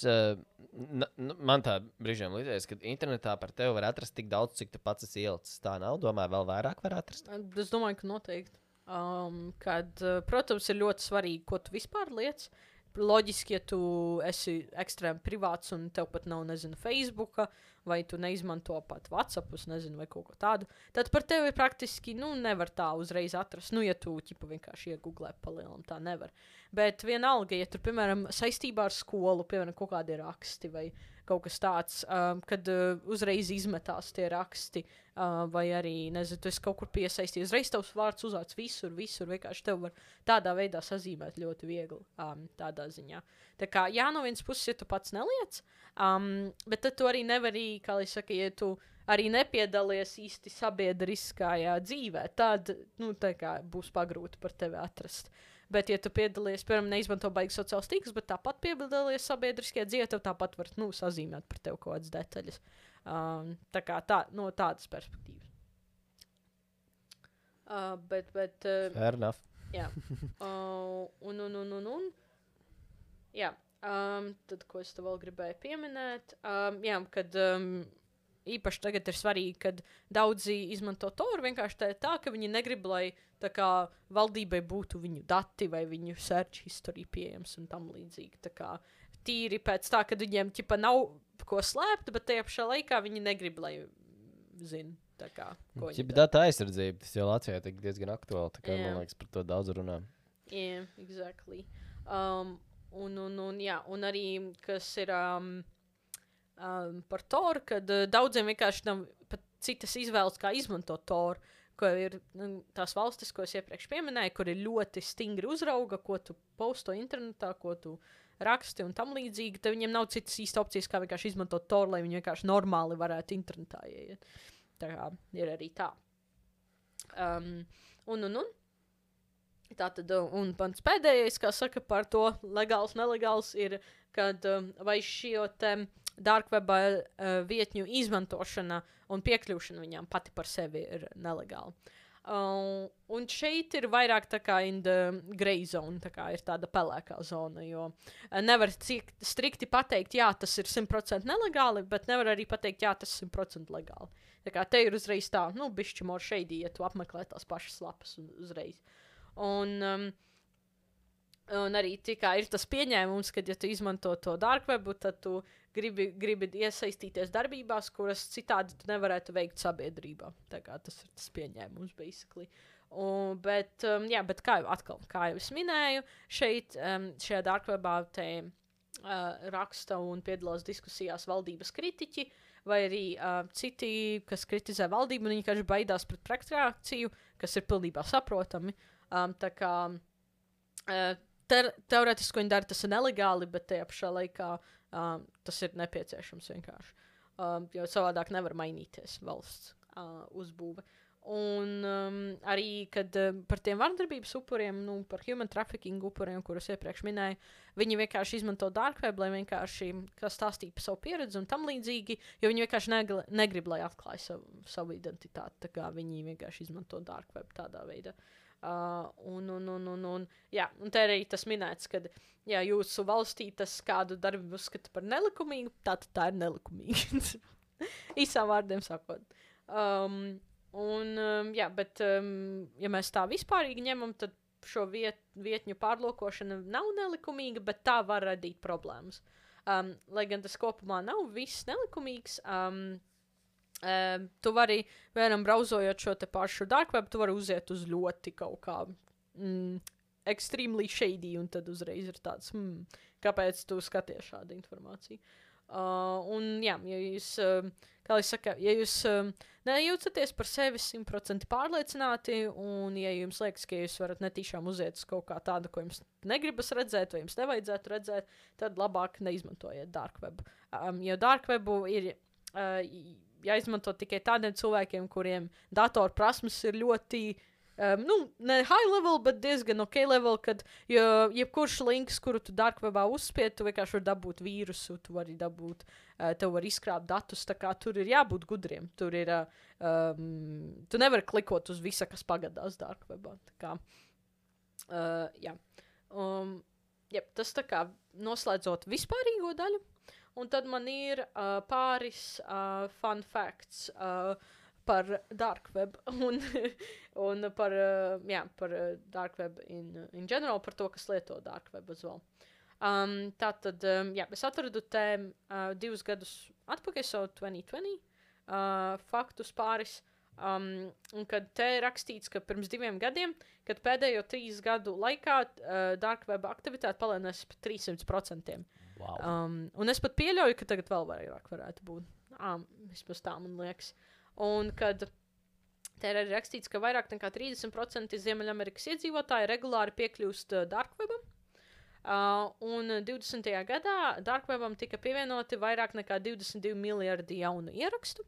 uh, n- n- man tā brīžiem līdzēs, ka internetā par tevi var atrast tik daudz, cik tu pats esi ielicis. Tā nav, domāju, vēl vairāk var atrast. Es domāju, ka noteikti. Um, kad, uh, protams, ir ļoti svarīgi, ko tu vispār liec. Loģiski, ja tu esi ekstrēmi privāts un tev pat nav, nezinu, Facebooka, vai tu neizmanto pat WhatsApp, nezinu, vai kaut ko tādu, tad par tevi praktiski, nu, nevar tā uzreiz atrast. Nu, ja tu, ķipa, vienkārši iegooglē palielam, tā nevar. Bet vienalga, ja tur, piemēram, saistībā ar skolu, piemēram, kaut kādi raksti vai kaut kas tāds, um, kad uh, uzreiz izmetās tie raksti, uh, vai arī, nezinu, tu esi kaut kur piesaistījies, uzreiz tavs vārds uzvārds visur, visur, vienkārši tev var tādā veidā sazīmēt ļoti viegli, um, tādā ziņā. Tā kā, jā, no vienas puses, ja tu pats neliec, um, bet tad tu arī nevari, kā lai saka, ja tu arī nepiedalies īsti sabiedriskajā dzīvē, tad, nu, tā kā būs pagrūti par tevi atrast. Bet, ja tu piedalies, piemēram, neizmanto baigi sociāls tīklus, bet tāpat piedalies sabiedriskajā dzīvē, tev tāpat var, nu, sazīmēt par tevi kaut kādas detaļas. Um, tā kā tā, no tādas perspektīvas. Uh, bet, bet... Uh, Fair enough. jā. Uh, un, un, un, un, un. Jā. Um, tad, ko es te vēl gribēju pieminēt? Um, jā, kad... Um, īpaši tagad ir svarīgi, kad daudzi izmanto Tor vienkārši tā, tā, ka viņi negrib, lai tā kā valdībai būtu viņu dati vai viņu search history pieejams un tam līdzīgi. Tā kā tīri pēc tā, ka viņiem ķipa nav ko slēpt, bet tajā pašā laikā viņi negrib, lai zina, tā kā, ko viņi Ja, bet dara. data aizsardzība, tas jau Latvijā ir diezgan aktuāli, tā kā, Jā. man liekas, par to daudz runā. Jā, yeah, exactly. Um, un, un, un, jā, un arī, kas ir... Um, Um, par Toru, kad uh, daudziem vienkārši nav pat citas izvēles, kā izmantot Toru, ko ir nu, tās valstis, ko es iepriekš pieminēju, kur ir ļoti stingri uzrauga, ko tu posto internetā, ko tu raksti un tam līdzīgi, tad viņiem nav citas īsta opcijas, kā vienkārši izmantot Toru, lai viņi vienkārši normāli varētu internetā ieiet. Tā kā ir arī tā. Um, un, un, un. Tā tad, un pants pēdējais, kā saka par to legāls, nelegāls, ir, kad um, vai šio te dark webā uh, vietņu izmantošana un piekļūšana viņām pati par sevi ir nelegāla. Uh, un šeit ir vairāk tā kā in the grey zone, tā kā ir tāda pelēkā zona, jo uh, nevar cik strikti pateikt, jā, tas ir simt procenti nelegāli, bet nevar arī pateikt, jā, tas ir simt procenti legāli. Tā kā te ir uzreiz tā, nu, bišķi more shady, ja tu apmeklē tās pašas lapas un uzreiz. Un, um, Un arī tikā ir tas pieņēmums, ka, ja tu izmanto to dark webu, tad tu gribi, gribi iesaistīties darbībās, kuras citādi tu nevarētu veikt sabiedrībā. Tā kā tas ir tas pieņēmums, basically. Un, bet, um, jā, bet kā jau atkal, kā jau es minēju, šeit, um, šajā dark webā te uh, raksta un piedalās diskusijās valdības kritiķi, vai arī uh, citi, kas kritizē valdību, un viņi vienkārši baidās pret pretreakciju, kas ir pilnībā saprotami. Um, tā kā uh, te, teoretiski viņi dara tas nelegāli, bet tajā pašā laikā um, tas ir nepieciešams vienkārši. Um, jo savādāk nevar mainīties valsts uh, uzbūve. Un um, arī, kad uh, par tiem vardarbības upuriem, nu, par human trafficking upuriem, kurus iepriekš minēju, viņi vienkārši izmanto dark web, lai vienkārši stāstītu par savu pieredzi un tam līdzīgi, jo viņi vienkārši negl- negrib, lai atklāj savu, savu identitāti, tā kā viņi vienkārši izmanto dark web tādā veidā. Uh, un, un, un, un, un, jā, un te arī tas minēts, ka, ja jūsu valstī tas kādu darbu uzskata par nelikumīgu, tad tā ir nelikumīga. Īsām vārdiem sakot. Um, Un, um, jā, bet, um, ja mēs tā vispārīgi ņemam, tad šo viet, vietņu pārlokošana nav nelikumīga, bet tā var radīt problēmas. Um, lai gan tas kopumā nav viss nelikumīgs, um, um, tu vari, vienam brauzojot šo te pašu dark web, tu vari uziet uz ļoti kaut kā mm, extremely shady, un tad uzreiz ir tāds, hmm, kāpēc tu skaties šādu informāciju. Uh, un, jā, ja jūs, uh, kā es saku, ja jūs uh, nejūtaties par sevi simt procenti pārliecināti, un ja jums liekas, ka jūs varat netīšām uziet uz kaut kā tādu, ko jums negribas redzēt, vai jums nevajadzētu redzēt, tad labāk neizmantojiet dark web. Um, jo dark webu ir uh, jāizmanto tikai tādiem cilvēkiem, kuriem datoru prasmes ir ļoti Um, nu, ne high level, bet diezgan ok level, kad jo, jebkurš links, kuru tu dark webā uzspied, tu vienkārši vari dabūt vīrusu, tu vari dabūt, uh, tev var izkrāpt datus, tā kā tur ir jābūt gudriem. Tur ir, uh, um, tu nevari klikot uz visa, kas pagadās dark webā. Tā kā, uh, jā. Um, jā, tas tā kā noslēdzot vispārīgo daļu, un tad man ir uh, pāris uh, fun facts, uh, par dark web un, un par, uh, jā, par uh, dark web in, in general, par to, kas lieto dark web as well. Um, tātad, um, jā, es atradu te uh, divus gadus atpakaļ, so twenty twenty, uh, faktus pāris, um, un kad te rakstīts, ka pirms diviem gadiem, kad pēdējo trīs gadu laikā uh, dark web aktivitāte palēnās par trīsimt procentiem. Wow. Um, un es pat pieļauju, ka tagad vēl vairāk varētu būt. Um, vismaz tā man liekas. Un kad te ir arī rakstīts, ka vairāk nekā trīsdesmit procenti Ziemeļamerikas iedzīvotāji regulāri piekļūst uh, dark webam, uh, un divdesmitajā gadā dark webam tika pievienoti vairāk nekā divdesmit divi miljardi jaunu ierakstu.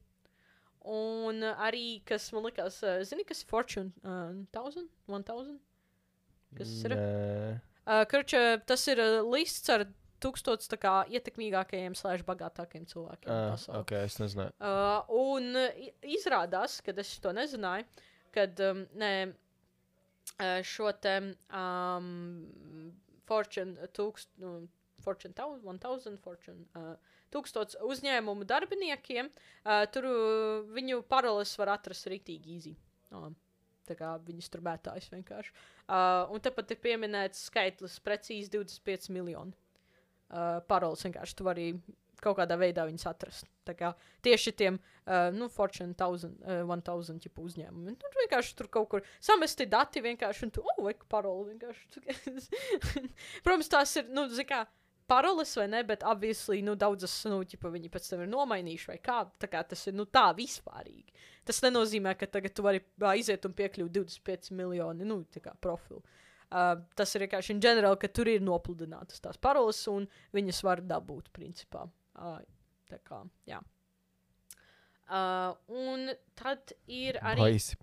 Un uh, arī, kas man likās, uh, zini, kas Fortune uh, thousand, one thousand? Kas ir? Uh, Kurš uh, tas ir uh, lists ar tūkstots tā kā ietekmīgākajiem slēdz bagātākajiem cilvēkiem uh, pasaulē. Ok, es nezināju. Uh, un uh, izrādās, kad es to nezināju, kad um, ne, uh, šo te um, Fortune tūkst, nu, Fortune one thousand, Fortune uh, tūkstots uzņēmumu darbiniekiem, uh, tur uh, viņu paroles var atrast ritīgi easy. Uh, tā kā viņas tur bētājas vienkārši. Uh, un tāpat ir pieminēts skaitlis precīzi divdesmit pieci miljoni. Uh, paroles vienkārši tu vari kaut kādā veidā viņas atrast. Tā kā tieši tiem, uh, nu, Fortune thousand, uh, one thousand ķipu uzņēmumi. Tur vienkārši tur kaut kur samesti dati vienkārši, un tu, oh, vai paroli vienkārši. Protams, tās ir, nu, zin kā, paroles vai ne, bet obviously, nu, daudzas, nu, ķipa viņi pēc tam ir nomainījuši vai kā, tā kā tas ir, nu, tā vispārīgi. Tas nenozīmē, ka tagad tu vari aiziet un piekļūt divdesmit pieci miljoni, nu, tā kā profilu. Uh, tas ir vienkārši in general, ka tur ir nopludinātas tās paroles, un viņas var dabūt, principā. Uh, tā kā, jā. Uh, un tad ir arī... Baisi.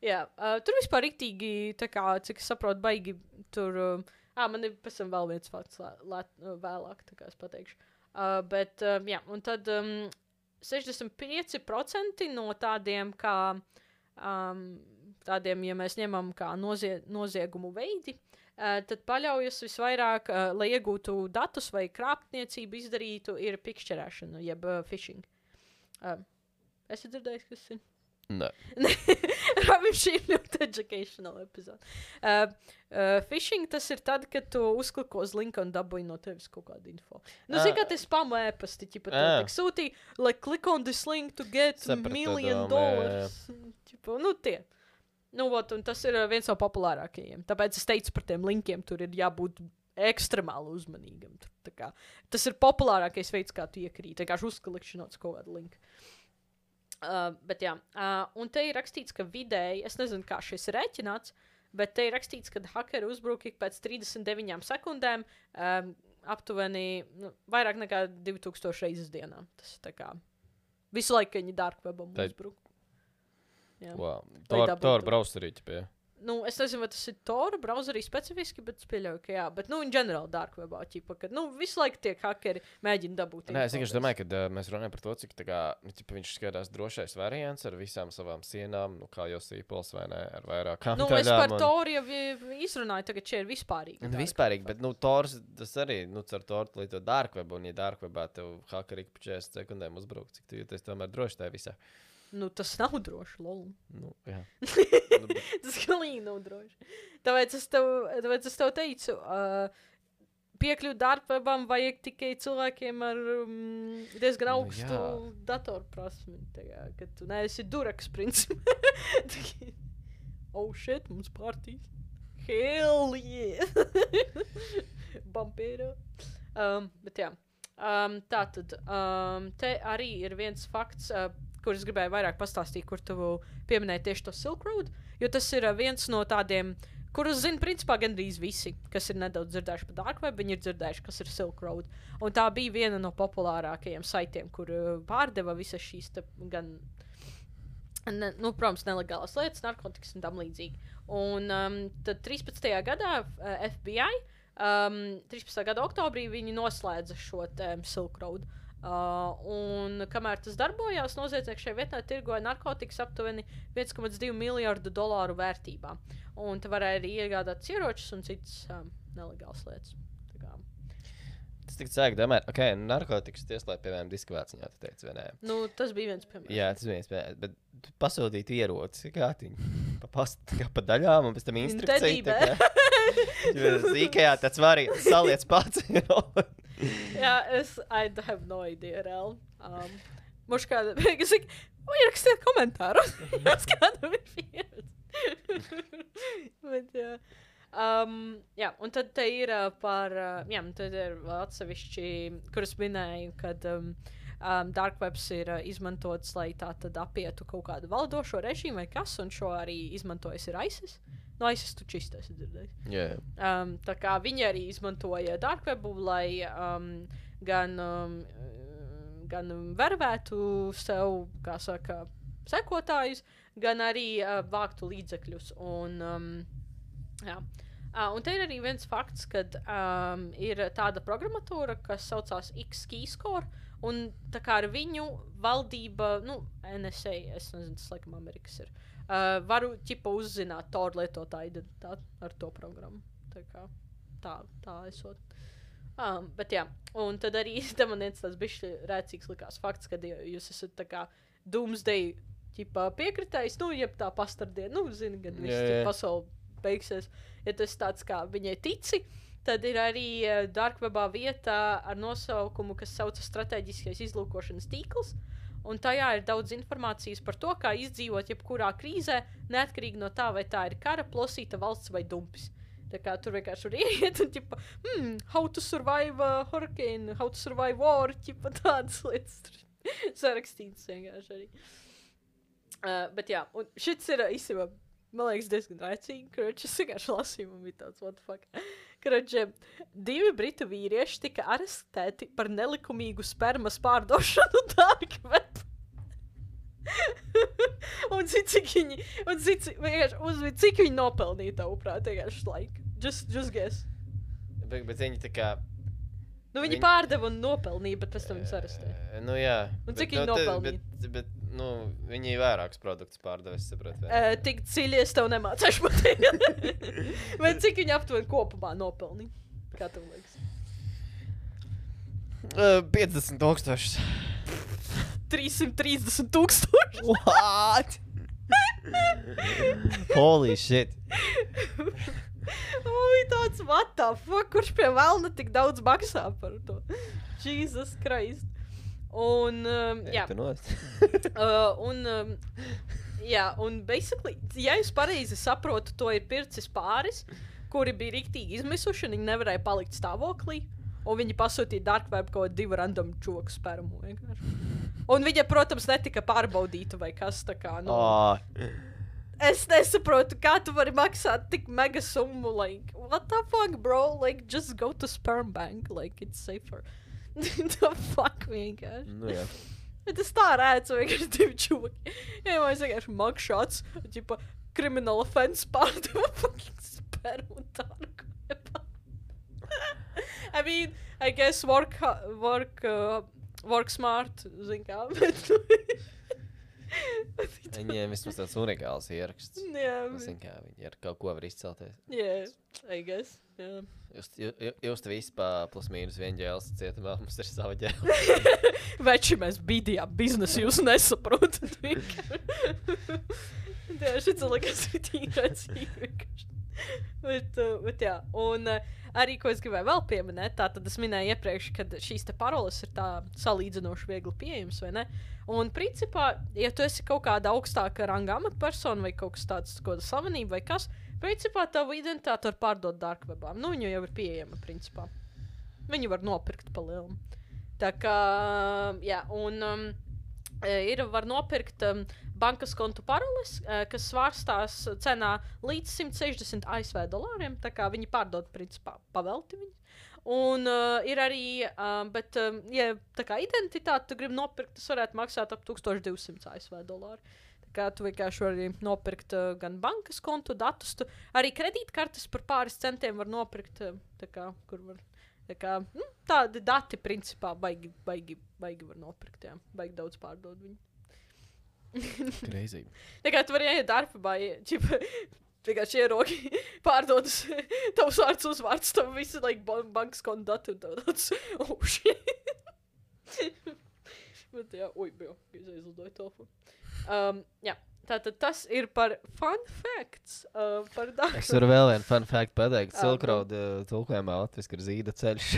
jā, uh, tur vispār riktīgi, tā kā, cik es saprotu, baigi tur... Uh, ā, man ir pēc tam vēl viens fakts lē, lē, vēlāk, tā kā es pateikšu. Uh, bet, uh, jā, un tad um, sešdesmit pieci procenti no tādiem kā... Um, tādiem, ja mēs ņemam kā nozie, noziegumu veidi, uh, tad paļaujas visvairāk, uh, lai iegūtu datus vai krāpniecību izdarītu, ir pikšķerēšana, jeb uh, phishing. Uh, esi dzirdējis, kas ir? Nē. Rabim šī ir ļoti educational epizode. Uh, uh, phishing tas ir tad, kad tu uzkliko uz linku un dabūji no tevis kaut kādu info. Nu, zini, kā te spamu ēpasti, ķipa, tev tik sūtīja, like, click on this link to get Sapratu million domu, dollars. Ķipa, nu, tie. Nu, vot, un tas ir uh, viens no populārākajiem. Tāpēc es teicu par tiem linkiem, tur ir jābūt ekstremāli uzmanīgam. Tur, tā kā, tas ir populārākais veids, kā tu iekrīt. Vienkārši uzklikšanot uz kaut kādu linku. Uh, bet jā, uh, un te ir rakstīts, ka vidēji, es nezinu, kā šis ir rēķināts, bet te ir rakstīts, ka hakeri uzbruk ik pēc trīsdesmit deviņām sekundēm um, aptuveni nu, vairāk nekā divi tūkstoši reizes dienā. Tas tā kā visu laiku viņi dark webam Tā... uzbruk. Jā. Wow. Lai Tor, dabūtu. Tor browserī, ķipie. Nu, es nezinu, vai tas ir Tor browserī specifiski, bet es pieļauju, ka jā. Bet, nu, in general dark webā, ķipa, kad, nu, visu laiku tiek hakeri mēģina dabūt. Nē, es vienkārši domāju, ka uh, mēs runājam par to, cik tā kā, nu, ķipa, viņš skatās drošais variants ar visām savām sienām, nu, kā jau sīpols vai ne, ar vairākām Nu, daļām. es par un... Tor jau izrunāju, tagad šie ir vispārīgi. Nu, vispārīgi, bet, nu, Tors, tas arī, nu, cer Tor līdz dark webu, un ja dark webā tev hakeri ik pa četrdesmit sekundēm uzbruk, cik tu jūties tomēr droši tajā visā. Nu, tas nav droši, lol. Nu, jā. Nu, bet... Tas galīgi nav droši. Tāpēc es tev, tāpēc es tev teicu, uh, piekļūt darbam vajag tikai cilvēkiem ar um, diezgan augstu Nu, datorprasmi. Tagad, kad tu neesi duraks, principā. Oh, shit, mums partijas. Hell yeah! Bampēra. Um, bet jā. Um, tātad, um, te arī ir viens fakts, uh, kur es gribēju vairāk pastāstīt, kur tu pieminēji tieši to Silk Road, jo tas ir uh, viens no tādiem, kurus zina principā gandrīz visi, kas ir nedaudz dzirdējuši par Dark Web, viņi ir dzirdējuši, kas ir Silk Road. Un tā bija viena no populārākajiem saitiem, kur uh, pārdeva visas šīs te, gan, ne, nu, protams, nelegālas lietas, narkotikas un tam līdzīgi. Un um, tad trīspadsmitajā gadā uh, F B I, um, trīspadsmitajā gada oktobrī viņi noslēdza šo te, um, Silk Road. Uh, un kamēr tas darbojās, noziedznieki šajā vietā tirgoja narkotikas aptuveni viens komats divi miljardu dolāru vērtībā. Un te varēja arī iegādāt ieročus un citas um, nelegālas lietas. Tā kā. Tas tik sāk domāt, ok, narkotikas tieslēt, piemēram, diskvāciņā, tu teici, vai nē? Nu, tas bija viens piemērs. Jā, tas viens piemērs, bet tu pasūtītu ieroci, kā tiņu, pa, past, kā pa daļām, un pēc tam instrukciju. Ikejā tāds variants, saliec pats. Jā, es I have no idea, reāli. Um, Moš kāda, es saku, ierakstiet komentāru. Es kādam ir pieredze. Bet, jā. Um, jā, un tad te ir uh, par, uh, jā, tad ir atsevišķi, kuras minēju, kad um, um, Dark Webs ir uh, izmantots, lai tā tad apietu kaut kādu valdošo režīmu vai kas, un šo arī izmantojas ir ISIS. No ISIS tu čistā esi dzirdējis. Yeah. Um, tā kā viņi arī izmantoja Dark Webu, lai um, gan, um, gan vervētu sev, kā saka, sekotājus, gan arī uh, vāktu līdzekļus. Un, um, jā. Uh, un te ir arī viens fakts, kad um, ir tāda programmatūra, kas saucās X-Keyscore, un tā kā ar viņu valdība, nu, N S A, es nezinu, tas laikam Amerikas ir, Uh, varu ķipa uzzināt Tor lietotāju identitāti ar to programmu. Tā kā tā, tā esot. Um, bet jā, un tad arī te man viens tāds bišķi rēcīgs likās fakts, kad jūs esat tā kā Doomsday ķipa piekritējis, nu, jeb tā pastardiena, nu, zini, kad viss yeah, yeah. pasauli beigsies. Ja tas tāds kā viņai tici, tad ir arī uh, Dark Webā vieta ar nosaukumu, kas saucas strateģiskais izlūkošanas tīkls. Un tajā ir daudz informācijas par to, kā izdzīvot jebkurā krīzē, neatkarīgi no tā, vai tā ir kara, plosīta valsts vai dumpis. Tā kā tur vienkārši var ieiet un, ķipa, hmm, how to survive a hurricane, how to survive war, ķipa tādas lietas tur sarakstītas vienkārši arī. Uh, bet jā, un šits ir īstenībā, man liekas, diezgan rēcīgi, kroči, es vienkārši lasīju, man bija tāds, what the fuck. Kroči, divi britu vīrieši tika arestēti par nelikumīgu spermas pārdošanu Dark Web. un cik, cik viņi, un cik, vienkārši uzvid, cik viņi nopelnīja tavuprāt, vienkārši like, just, just guess. Bet, bet viņi tā kā... Nu, viņi Viņ... pārdeva un nopelnīja, bet pēc tam viņus arestēja. Uh, nu, jā. Un bet, cik viņi nu, nopelnīja? Bet, bet, nu, viņi vairākus produktus pārdeva, es saprotu. Uh, tik dziļi es tev nemācēšu pateikt. Bet cik viņi aptuveni kopumā nopelnīja? Kā tev liekas? Uh, piecdesmit tūkstošus. trīsimt trīsdesmit tūkstoši. What? Holy shit. Ui, tāds, what the fuck, kurš pie velna tik daudz maksā par to? Jesus Christ. Un, um, jā. Tu nost. uh, un, um, jā, un basically, ja es pareizi saprotu, to ir pircis pāris, kuri bija riktīgi izmisuši, un viņi nevarēja palikt stāvoklī, un viņi pasūtīja dark web kaut divu random čoku spermu vienkārši. Un viņa, protams, netika pārbaudīta vai kas tā kā, nu... Oh. Es nesaprotu, kā tu vari maksāt tik mega summu, like, what the fuck, bro? Like, just go to sperm bank, like, it's safer. The fuck, vienkārši. Nu, jā. Bet es tā redzu, vienkārši divi čūki. Jā, man es vienkārši mugšots, ģipa, criminal offense pārdeva fucking spermu un dark webā. I mean, I guess work, work, uh, work smart, zin kā, bet... Viņiem vismaz tāds unikāls ieraksts. Jā. Es zinu, kā viņi ar kaut ko var izcelties. Jā, I guess, jā. Jūs, jūs, jūs te visi pa plus mīnus vienu ģēles cietumā, mums ir sava ģēle. Veči, mēs bīdījām biznesu, jūs nesaprotat. Jā, šis liekas ritīgi redzīgi. Bet, uh, bet jā, un uh, arī, ko es gribēju vēl pieminēt, tā tad es minēju iepriekš, ka šīs te paroles ir tā salīdzinoši viegli pieejams, vai ne? Un principā, ja tu esi kaut kāda augstāka ranga amatpersona vai kaut kas tāds, kaut kāda slavenība vai kas, principā tavu identitāti var pārdot dark webā. Nu, viņu jau ir pieejama, principā. Viņu var nopirkt pa lielam. Tā kā, jā, un um, ir, var nopirkt um, bankas kontu paroles, uh, kas svārstās cenā līdz simt sešdesmit A S V dolāriem, tā kā viņi pārdod, principā, pavelti viņu. Un uh, ir arī, uh, bet, um, ja tā kā identitāti tu gribi nopirkt, tas varētu maksāt ap tūkstoš divsimt A S V dolāri. Tā kā tu vienkārši vari nopirkt uh, gan bankas kontu datus, tu arī kredītkartes par pāris centiem var nopirkt, uh, tā kā, kur var, tā kā, nu, tādi dati, principā, baigi, baigi, baigi var nopirkt, jā, baigi daudz pārdod viņu. Crazy. Tā kā tu vari ieiet darbā, čipa, vienkārši ierogi pārdodas tavs vārds uzvārds, tavu visu, like, bankas kontu dati un tavu tāds, oh, shit. Bet jā, ui, bija, es aizlidoju telefonu. Um, jā, tātad tas ir par fun facts uh, par darbu. Es varu vēl vienu fun fact pateikt. Ah, Silk Road uh, tulkojumā latviski ir zīda ceļš.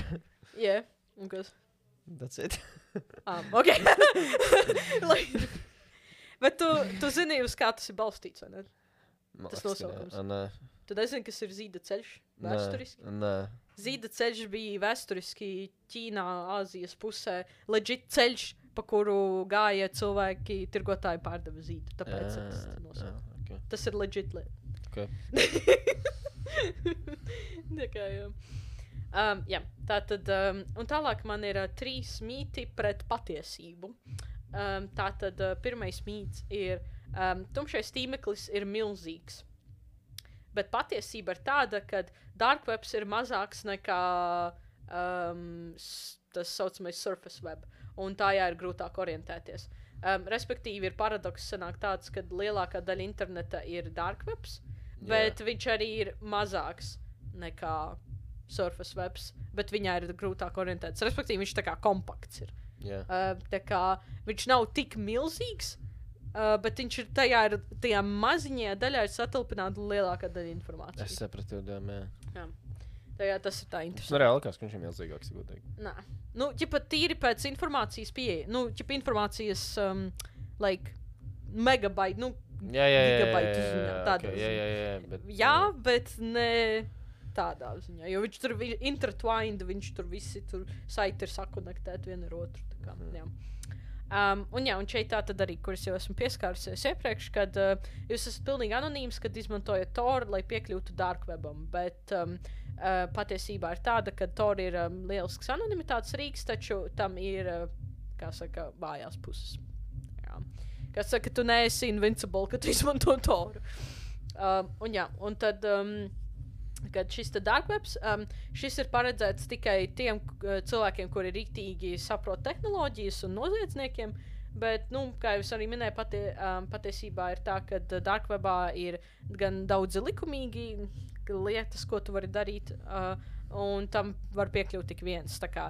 Jā, yeah. Un kas? That's it. Ah, ok. Like, bet tu, tu zini, uz kā tas ir balstīts, vai ne? Tas nosaukums. Nē. Tu nezini, kas ir zīda ceļš vēsturiski? Nē. Zīda ceļš bija vēsturiski Ķīnā, Āzijas pusē. Legit ceļš, pa kuru gāja cilvēki, tirgotāji pārdeva zīdu. Tāpēc jā, tas nosaukums. Okay. Tas ir legit lieta. Okay. Tā kā, jā. Um, jā, tātad, um, un tālāk man ir uh, trīs mīti pret patiesību. Um, tātad uh, pirmais mīts ir, um, tumšais tīmeklis ir milzīgs. Bet patiesība ir tāda, ka dark webs ir mazāks nekā um, tas saucamais surface web, un tajā ir grūtāk orientēties. Um, respektīvi, ir paradoks sanāk tāds, ka lielākā daļa interneta ir dark webs, bet yeah. viņš arī ir mazāks nekā surface webs, bet viņā ir grūtāk orientēties. Respektīvi, viņš tā kā kompakts ir. Yeah. Uh, tā kā viņš nav tik milzīgs, uh, bet viņš ir tajā, ir, tajā maziņajā daļā ir satilpināta lielākā daļa informācijas. Es sapratu, jā. Jā. Tajā tas ir tā interesanti. Nu, reāli likās, ka viņš ir milzīgāks, godīgi. Nā. Nu, ķipa tīri pēc informācijas pieeja. Nu, ķipa informācijas, um, like, megabaiti, nu, jā, jā, jā, gigabaitu jā, jā, ziņā. jā, Tādā okay, jā, jā, jā, bet, jā, bet ne tādā ziņā. Jo viņš tur ir intertwined, viņš tur visi tur saiti ir sakonektēti viena ar otru. Tā kā, mm. jā. Um, un jā, un šeit tā tad arī, kur es jau esmu pieskārusies iepriekš, kad uh, jūs esat pilnīgi anonīms, kad izmantojat Tor, lai piekļūtu dark webam, bet um, uh, patiesībā ir tāda, ka Tor ir um, lielisks anonimitātes rīks, taču tam ir, uh, kā saka, vājās puses. Jā. Kā saka, tu neesi invincible, kad tu izmanto Toru. Um, un jā, un tad... Um, kad šis te dark webs, um, šis ir paredzēts tikai tiem uh, cilvēkiem, kuri rīktīgi saprot tehnoloģijas un noziedzniekiem, bet, nu, kā jau es arī minēju, patie, um, patiesībā ir tā, ka dark webā ir gan daudzi likumīgi lietas, ko tu vari darīt, uh, un tam var piekļūt tik viens. Tā kā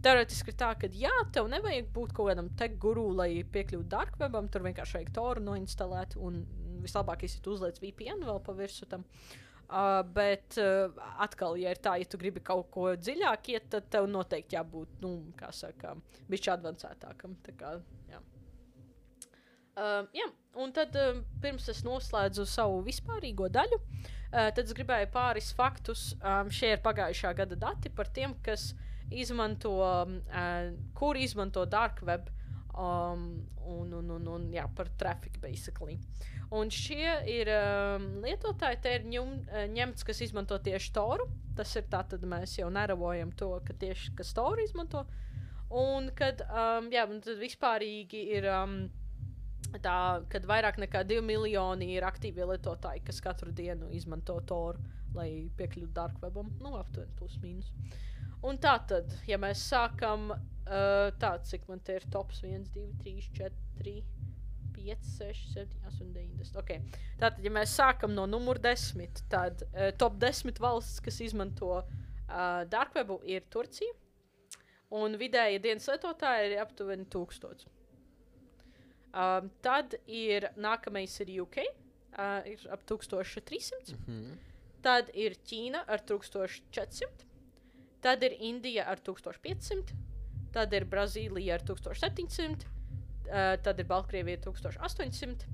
teoretiski ir tā, ka jā, tev nevajag būt kaut kādam tech guru, lai piekļūtu dark webam, tur vienkārši vajag Toru noinstalēt un vislabākais ir tu uzliec V P N vēl pa virsu tam. Uh, bet uh, atkal, ja ir tā, ja tu gribi kaut ko dziļāk iet, tad tev noteikti jābūt, nu, kā saka, bišķi advancētākam. Tā kā, jā. Uh, jā, un tad uh, pirms es noslēdzu savu vispārīgo daļu, uh, tad es gribēju pāris faktus. Um, šie ir pagājušā gada dati par tiem, kas izmanto, uh, kur izmanto dark web um, un, un, un, un, jā, par traffic, basically. Un šie ir um, lietotāji, te ir ņum, ņemts, kas izmanto tieši Toru. Tas ir tā, tad mēs jau neravojam to, ka tieši kas Toru izmanto. Un kad, um, jā, un tad vispārīgi ir um, tā, kad vairāk nekā divi miljoni ir aktīvie lietotāji, kas katru dienu izmanto Toru, lai piekļūtu dark webam. Nu, aptuveni plus mīnus. Un tā tad, ja mēs sākam uh, tā, cik man te ir tops viens, divi, trīs, četri... pieci, seši, septiņi, astoņi, deviņi, desmit. Okay. Tātad, ja mēs sākam no numur desmit, tad uh, top desmit valsts, kas izmanto uh, dark webu, ir Turcija. Un vidēja dienas lietotāji ir aptuveni tūkstots. Uh, tad ir nākamais ir U K, uh, ir ap tūkstoš trīssimts. Mhm. Tad ir Ķīna ar tūkstoš četrsimt. Tad ir Indija ar tūkstoš piecsimt. Tad ir Brazīlija ar tūkstoš septiņsimt. Uh, tad ir Baltkrievija tūkstoš astoņsimt,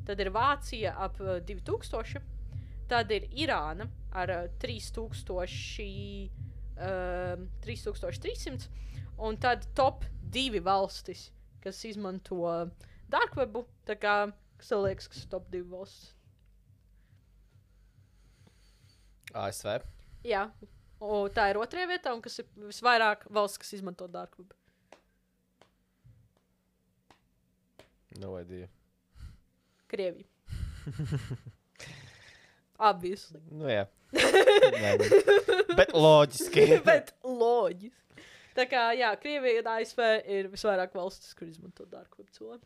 tad ir Vācija ap uh, divi tūkstoši, tad ir Irāna ar uh, trīs tūkstoši trīs simti, un tad top divi valstis, kas izmanto uh, dark webu, tā kā, kas tev liekas, kas ir top divi valstis? A S V. Jā, un tā ir otrajā vietā, un kas ir visvairāk valsts, kas izmanto dark webu? No idea. Krievija. Obviously. Nu jā. Nē, nu. Bet loģiski. Bet loģiski. Tā kā, jā, Krievija un A S V ir visvairāk valstis, kur izmanto dark web cilvēku.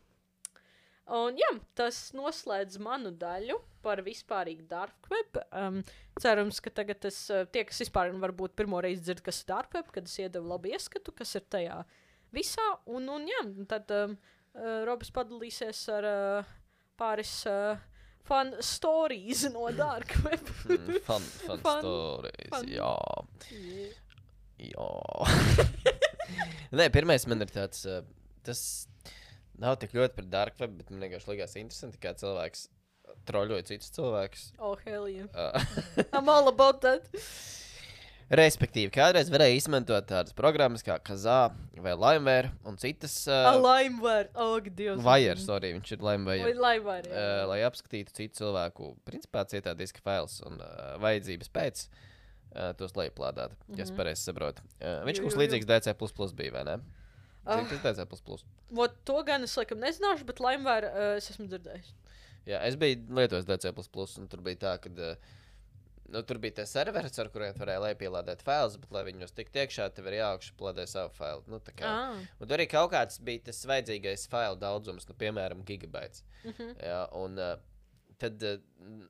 Un jā, tas noslēdz manu daļu par vispārīgu dark web. Um, cerams, ka tagad es, tie, kas vispār varbūt pirmo reizi dzird, kas ir dark web, kad es iedevu labu ieskatu, kas ir tajā visā. Un, un jā, tad... Um, Uh, Robis padalīsies ar uh, pāris uh, fun stories no dark web. mm, fun, fun, fun stories, fun. Jā. Yeah. Jā. Nē, pirmais man ir tāds, uh, tas nav tik ļoti par dark web, bet man vienkārši likās interesanti, kā cilvēks troļoja citus cilvēkus. Oh, hell yeah. Uh. I'm all about that. Respektīvi, kādreiz varēja izmantot tādas programmas kā Kazaa vai Limeware un citas... Uh, A Limeware, oh, Dievs. Wire, sorry, viņš ir Limeware. Vai Limeware, jā. Uh, lai apskatītu citu cilvēku, principā cietā diska fails un uh, vajadzības pēc uh, tos lejuplādāt, mm -hmm. ja es pareizi saprotu. Uh, viņš mums līdzīgs D C plus plus bija, vai ne? Zini, kas D C plus plus? Vot to gan es laikam nezināšu, bet Limeware uh, es esmu dzirdējis. Jā, es biju lietojis D C plus plus un tur bija tā, kad... Uh, Nu, tur bija tie serveri, ar kuriem varēja lejupielādēt failus, bet, lai viņos tiktu iekšā, tev ir jāaugšu plādē savu failu. Nu, tā kā. Ah. Un tur arī kaut kāds bija tas vajadzīgais failu daudzums, nu, piemēram, gigabaits. Mm -hmm. Jā, un uh, tad uh,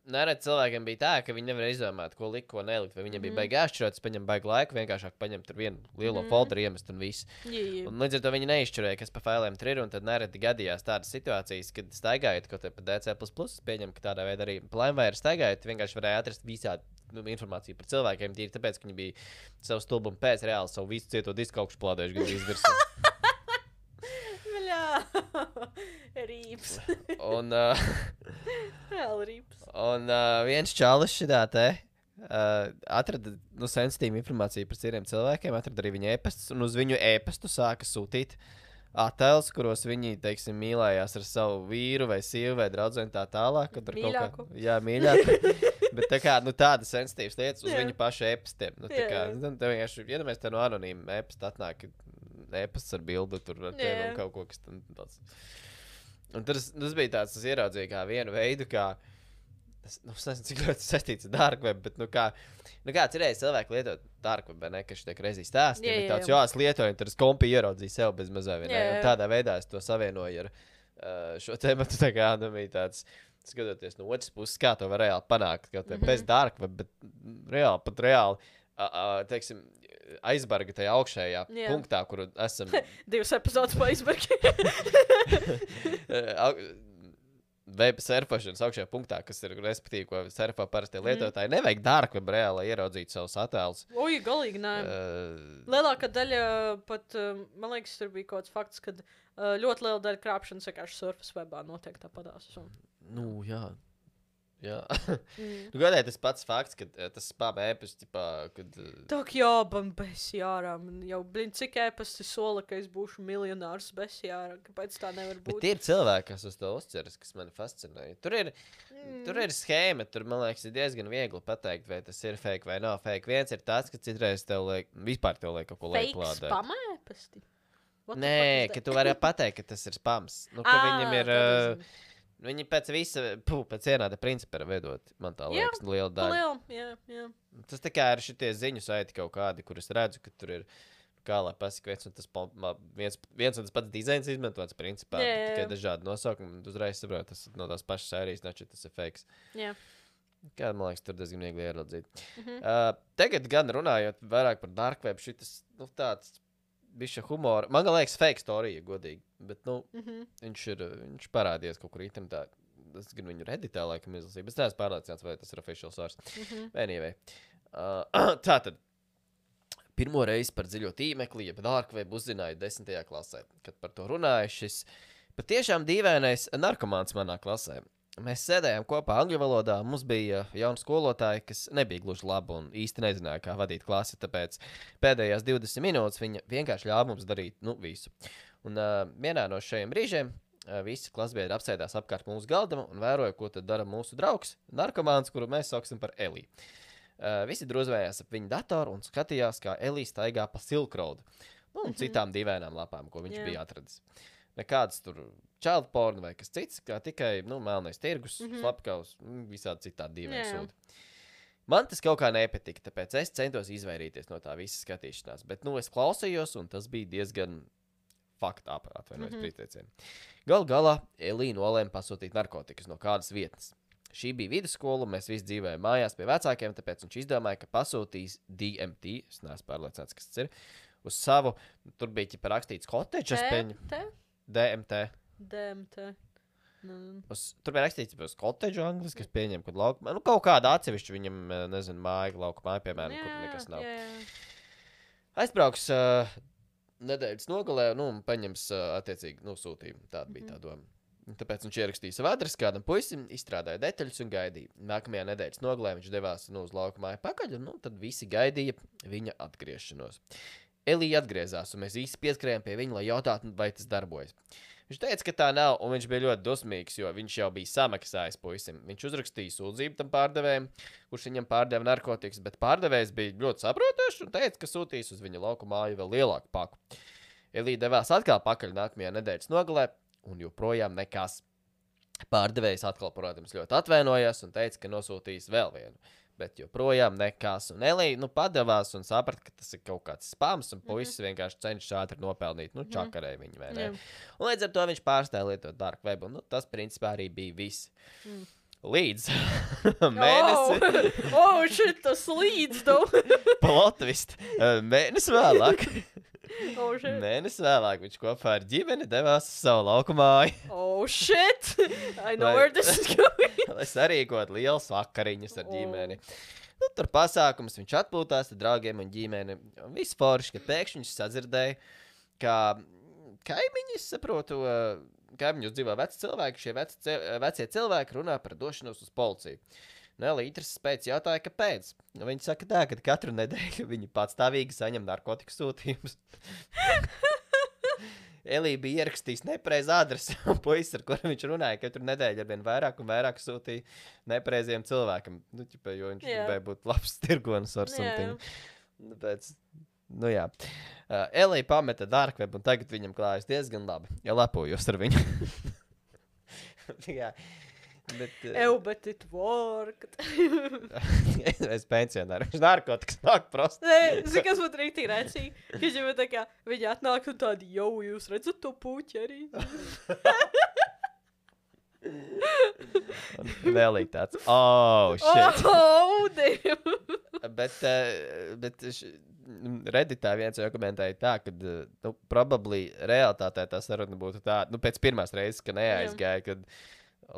nerad cilvēkiem bija tā, ka viņi nevarēja izdomāt, ko likt, ko nelikt, vai viņiem mm -hmm. bija baigi jāšķirot, es paņem baigi laiku, vienkāršāk paņem tur vienu lielo mm -hmm. folderu iemest un viss. Yeah, yeah. Un līdz ar to viņi neizšķirēja, kas pa failiem tur ir, un tad nereti gadījās tādas situācijas, kad staigājot kaut te pa D C plus plus, pieņem, ka tādā veidā arī Limeware staigājot, vienkārši varēja atrast visādi nu, informāciju par cilvēkiem, tīri tāpēc, ka viņi bija savu stulbumu pēc reāli savu visu cieto disku augšu plādējuši gan izvirsā. Bļā, rīps. Un, uh, Reāli rīps. un uh, viens čalis šitā te uh, atrada nu, sensitīvu informāciju par citiem cilvēkiem, atrada arī viņa ēpastus, un uz viņu ēpastu sāka sūtīt attēlus, kuros viņi, teiksim, mīlējās ar savu vīru vai sievu vai draudzeni tā tālāk. Mīļāku. Kā, jā, mīļāku. Bet tā kā, nu, tādas sensitīvas lietas uz Jā. viņu pašu ēpastiem. Nu, tā Jā, kā, jā. nu, tev vienkārši, ja mēs te no anonīma ēpasta atnāk, ēpasts ar bildu tur ar tevi un kaut ko, kas tam tāds. Un tas, tas bija tāds, tas ieraudzīja kā vienu veidu, kā, es, nu, es nezinu, cik ļoti saistīts ar dark web, bet, nu, kā, nu, kā cerēja cilvēki lietot dark web, ne, ka šitek reizī stāstīja, Jā, bet jā, tāds, jā. jā, es lietoju, un tad es kompī ieraudzīju sev bez mazā vienā. Jā, jā. Un tādā veidā es to savienoju ar uh, šo tēmatu, tā kā, nu, bija tāds, skatoties no otras puses, kā to var reāli panākt, kaut mm -hmm. bez dark web, bet reāli, pat reāli, uh, uh, teiksim, aizbarga tajā augšējā Jā. punktā, kur esam... Divas epizodes pa icebergi. web surfošanas augšējā punktā, kas ir respektīvi, ko surfo parastie lietotāji, mm. nevajag dark web reāli, lai ieraudzītu savus attēlus. Oi, galīgi nē. Uh, Lielākā daļa pat, uh, man liekas, tur bija kaut kāds fakts, ka uh, ļoti liela daļa krāpšanas vienkārši surfas webā notiek tāpatās. Un... Nu, jā. Jā. Mm. Nu, godēji, tas pats fakts, ka uh, tas spam ēpast, tipā, kad... Uh... Tā kā jābam besjārā. Man jau, blin, cik ēpasti sola, ka es būšu miljonārs besjārā. Kāpēc tā nevar būt? Bet ir cilvēki, kas uz to uzceras, kas mani fascinēja. Tur ir, mm. tur ir schēma, tur, man liekas, ir diezgan viegli pateikt, vai tas ir fake vai nav fake. Viens ir tāds, ka citreiz tev liek, vispār tev liek kaut ko liek plādēt. Fake spam ēpasti? Nē, ka tu vari pateikt, ka tas ir spams. Nu, ka à, viņam ir... Uh, viņi pēc visa, puh, pēc vienāda principa ir vedot, man tā liekas, jā, liela daļa. Jā, jā, jā. Tas tā kā ir šitie ziņu saiti kaut kādi, kur es redzu, ka tur ir, kā lai pasaka, viens un tas, viens, viens un tas pats dizains izmantots principā, jā, jā. tikai dažādi nosaukumi, uzreiz saprot, tas no tās pašas sērijas, nači tas ir fakes. Jā. Kā, man liekas, tur diezgan viegli ieraudzīt. Mhm. Uh, tagad gan runājot vairāk par dark web, šitas, nu, tāds bišķa humora. Man liekas, fake storija, godīgi. Bet, nu, Mhm. viņš ir, viņš parādījies kaut kur internetā. Es gan viņu reditā, laikam, izlasīju, bet es neesmu pārliecināts, vai tas ir official source. Mhm. Anyway. Uh, tātad. Pirmo reizi par dziļo tīmekli, jeb dark web uzzināju desmitajā klasē. Kad par to runāju, šis patiešām dīvainais narkomāns manā klasē. Mēs sēdējām kopā angļu valodā, mums bija jauna skolotāja, kas nebija gluži laba un īsti nezināja, kā vadīt klasi, tāpēc pēdējās divdesmit minūtes viņa vienkārši ļāva mums darīt, nu, visu. Un uh, vienā no šajiem brīžiem uh, visi klasbiedri apsēdās apkārt mūsu galdam un vēroja, ko tad dara mūsu draugs, narkomāns, kuru mēs sauksim par Elī. Uh, visi drūzvējās ap viņa datoru un skatījās, kā Elī staigā pa Silk Road, nu, un citām dīvainām lapām, ko viņš Jā. bija atradis. Nekāds tur child porn vai kas cits, kā tikai, nu, melnais tirgus, mm -hmm. slapkaus, visādi citādi dīvaini Jā. sūdi. Man tas kaut kā nepatika, tāpēc es centos izvairīties no tā visa skatīšanās, bet, nu, es klausījos, un tas bija diezgan fucked up, atvainojos mm -hmm. prīteicienu. Gal galā Elī nolēma pasūtīt narkotikas no kādas vietas. Šī bija vidusskola, mēs visi dzīvējām mājās pie vecākiem, tāpēc viņš izdomāja, ka pasūtīs D M T, es neesmu pārliecināts, kas tas ir, uz savu, tur bija ķipa rakstīts cottage, es pieņu. Te? D M T. D M T. Nu. Uz, tur bija rakstīts uz cottage angliski, es pieņemu, kad laukumā, nu kaut kāda atsevišķa viņam, nezinu, māja, lauka māja, piemēram, jā, kur nekas nav. Jā, jā. Aizbrauks uh, nedēļas nogalē, nu, un paņems uh, attiecīgi, nu, sūtījumu. Tāda bija Mhm. tā doma. Tāpēc viņš ierakstīja savu adresi kādam puisim, izstrādāja detaļas un gaidīja. Nākamajā nedēļas nogalē viņš devās nu, uz lauka māju pakaļ, un nu, tad visi gaidīja viņa atgriešanos. Elī atgriezās, un mēs īsti pieskrējām pie viņa, lai jautātu, vai tas darbojas. Viņš teica, ka tā nav, un viņš bija ļoti dusmīgs, jo viņš jau bija samaksājis puisim. Viņš uzrakstīja sūdzību tam pārdevējam, kurš viņam pārdeva narkotikas, bet pārdevējs bija ļoti saprotošs un teica, ka sūtīs uz viņa lauku māju vēl lielāku paku. Elī devās atkal pakaļ nākamajā nedēļas nogalē, un joprojām nekas. Pārdevējs atkal, protams, ļoti atvainojās un teica, ka nosūtīs vēl vienu. Bet joprojām nekas. Un Elī, nu, padevās un saprata, ka tas ir kaut kāds spams, un puisis mm -hmm. vienkārši cenšas ātri nopelnīt. Nu, čakarēja viņu, vai ne? Jā. Un līdz ar to viņš pārstāja lietot dark web, un nu, tas, principā, arī bija viss. Mm. Līdz mēnesi. Oh, oh shit, tas līdz, tu. Plotvist. Mēnesi vēlāk. Oh, shit. Mēnesi vēlāk viņš kopā ar ģimeni devās uz savu lauku māju. Oh, shit. I know Lai- where this is going. Lai sarīkot liels vakariņus ar Oh. ģimeni. Nu, tur pasākums, viņš atpūtās ar draugiem un ģimeni. Un viss forši, kad pēkšņi viņš sadzirdēja, ka kaimiņi, es saprotu, ā, kaimiņos dzīvo veci cilvēki, šie veci, ce- vecie cilvēki runā par došanos uz policiju. Nu, Elītras pēc jautāja, kāpēc. Nu, viņi saka tā, ka katru nedēļu viņi patstāvīgi saņem narkotiku sūtījumus. Elī bija ierakstījis nepareizu adresi, un puisis, ar kuru viņš runāja, katru nedēļu ar vien vairāk un vairāk sūtīja nepareiziem cilvēkam. Nu, ķipa, jo viņš Jā. gribēja būt labs tirgonis ar Jā, something. Nu, pēc, nu jā. Uh, Elī pameta dark web, un tagad viņam klājas diezgan labi. Ja lepojos ar viņu. jā. Bet, uh, Ew, but it worked. es pensionāru. Viņš narkotikas nāk prosti. Nē, zini, kas būtu rīktīgi rēcīgi? Ka jau tā kā viņi atnāk un tādi, jau jūs redzat to puķi arī? Vēl ir tāds, oh, shit. Oh, damn. bet, uh, bet š, Redditā viens jau komentēja tā, ka, uh, nu, probably realitātē tā saruna būtu tā, nu, pēc pirmās reizes, ka neaizgāja, kad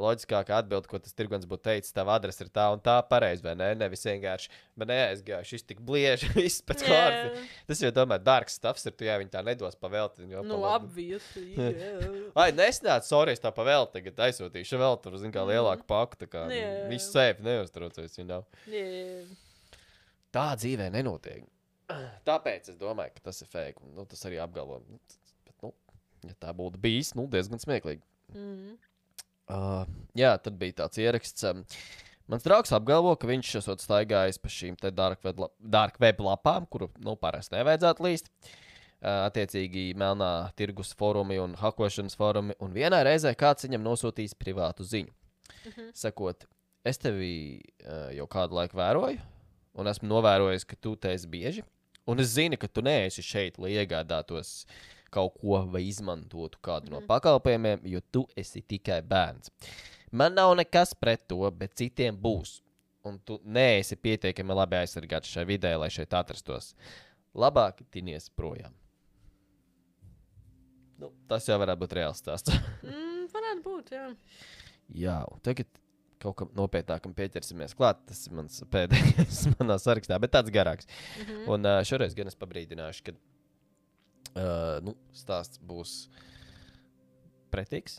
loģiskākā atbilde, ko tas tirgonis būtu teicis, tava adrese ir tā un tā pareizi, vai ne? Nevis vienkārši, bet neaizgāju, šis tik blieži, viss pēc kārtas. Tas jau tomēr dārgs stuffs ir, tu jā, viņi tā nedos pavēlti. Nu, obviously, jā. Ai, nesnāc, sorry, es tā pavēlti, tagad aizsūtīšu vēl tur, zin kā, lielāku paku, tā kā Jā. viss safe, neuztraucies, you know. Jā. Tā dzīvē nenotiek. Tāpēc es domāju, ka tas ir fake, un nu, tas arī apgalvo. Bet, nu, ja tā būtu bijis, nu, diezgan smieklīgi. Mhm. Uh, jā, tad bija tāds ieraksts. Um, mans draugs apgalvo, ka viņš esot staigājis pa šīm te dark web, la- dark web lapām, kuru, nu, parasti nevajadzētu līst. Uh, attiecīgi Melnā tirgus forumi un hakošanas forumi, un vienā reizē kāds viņam nosūtīs privātu ziņu. Mhm. Sakot, es tevi uh, jau kādu laiku vēroju, un esmu novērojis, ka tu te esi bieži, un es zinu, ka tu neesi šeit, lai iegādātos kaut ko vai izmantotu kādu no pakalpojumiem, jo tu esi tikai bērns. Man nav nekas pret to, bet citiem būs. Un tu neesi pietiekami labi aizsargāts šai vidē, lai šeit atrastos. Labāk tinies projām. Nu, tas jau varētu būt reāls stāsts. Mm, varētu būt, jā. Jā, un tagad kaut kam nopietnākam pieķersimies klāt. Tas ir mans pēdējais manā sarakstā, bet tāds garāks. Mhm. Un uh, šoreiz gan es pabrīdināšu, ka Uh, nu, stāsts būs pretīgs.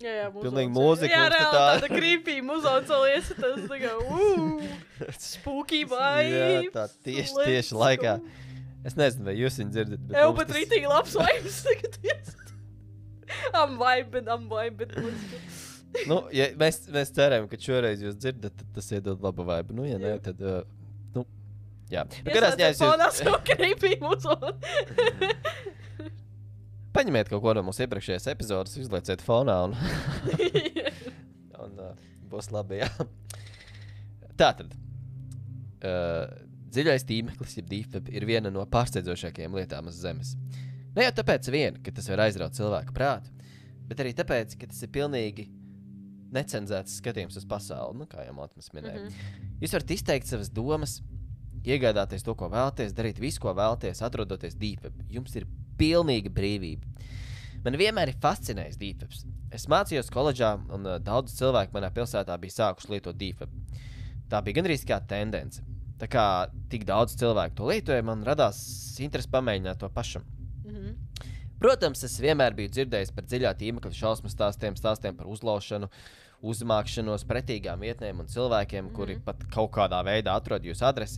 Jā, jā, Pilnīgi muzons. mūzika Jā, mums te reāli tā- tāda creepy muzons vēl iesatās, tā kā, uuuu, spooky vibes. Jā, tā tieši, let's tieši laikā. go. Es nezinu, vai jūs viņu dzirdat, bet Jā, mums bet tas- rītīgi labs vibes tagad iesat. I'm vibing, I'm vibing. let's go. Nu, ja mēs, mēs ceram, ka šoreiz jūs dzirdat, tad tas iedod labu vibe. Nu, ja nē, Jā. tad, uh, nu, jā. Nu, kādā ziņā es Ieslēdziet fonā jūs... savu creepy muzonu. Paņemiet kaut ko no mūsu iepriekšējās epizodes, izlieciet fonā un, un uh, būs labi, jā. Tātad, uh, dziļais tīmeklis, jeb deep web, ir viena no pārsteidzošākajām lietām uz zemes. Ne jau tāpēc vien, ka tas var aizraut cilvēku prātu, bet arī tāpēc, ka tas ir pilnīgi necenzēts skatījums uz pasauli, nu, kā jau Matmas minēja. Mhm. Jūs varat izteikt savas domas, iegādāties to, ko vēlaties, darīt visu, ko vēlaties, atrodoties deep web. Jums ir pilnīga brīvība. Man vienmēr ir fascinējis deep webs. Es mācījos koledžā, un uh, daudz cilvēku manā pilsētā bija sākuši lietot deep web. Tā bija gandrīz kā tendence. Tā kā tik daudz cilvēku to lietoja, man radās interesi pamēģināt to pašam. Mhm. Protams, es vienmēr biju dzirdējis par dziļā tīmekļa šausmu stāstiem, stāstiem par uzlaušanu, uzmākšanos, pretīgām vietnēm un cilvēkiem, kuri pat kaut kādā veidā atrod jūsu adresi.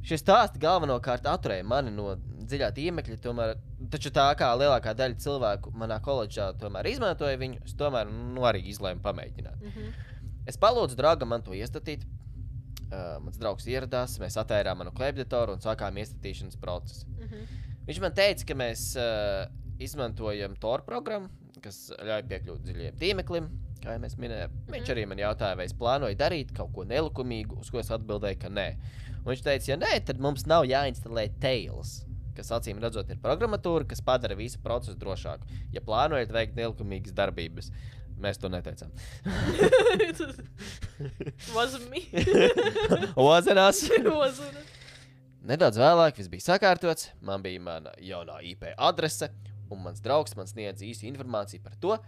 Šie stāsti galvenokārt atturēja mani no dziļā tīmekļa, tomēr, taču tā kā lielākā daļa cilvēku manā koledžā tomēr izmantoja viņu, es tomēr nu, arī izlēmu pamēģināt. Mhm. Es palūdzu draugam man to iestatīt. Uh, mans draugs ieradās, mēs atērām manu klēpjdatoru un sākām iestatīšanas procesu. Mhm. Viņš man teica, ka mēs uh, izmantojam Tor programmu, kas ļauj piekļūt dziļajam tīmeklim, kā jau mēs minējām. Mhm. Viņš arī man jautāja, vai es plānoju darīt kaut ko nelikumīgu, uz ko es atbildēju, ka nē. Un viņš teica, ja nē, tad mums nav jāinstalē Tails, kas acīm redzot ir programmatūra, kas padara visu procesu drošāku. Ja plānojat veikt nelikumīgas darbības, mēs to neteicām. Wasn't me. Ozenās! Wasn't it? Nedaudz vēlāk viss bija sakārtots, man bija mana jaunā I P adrese, un mans draugs man sniedz īsu informāciju par to,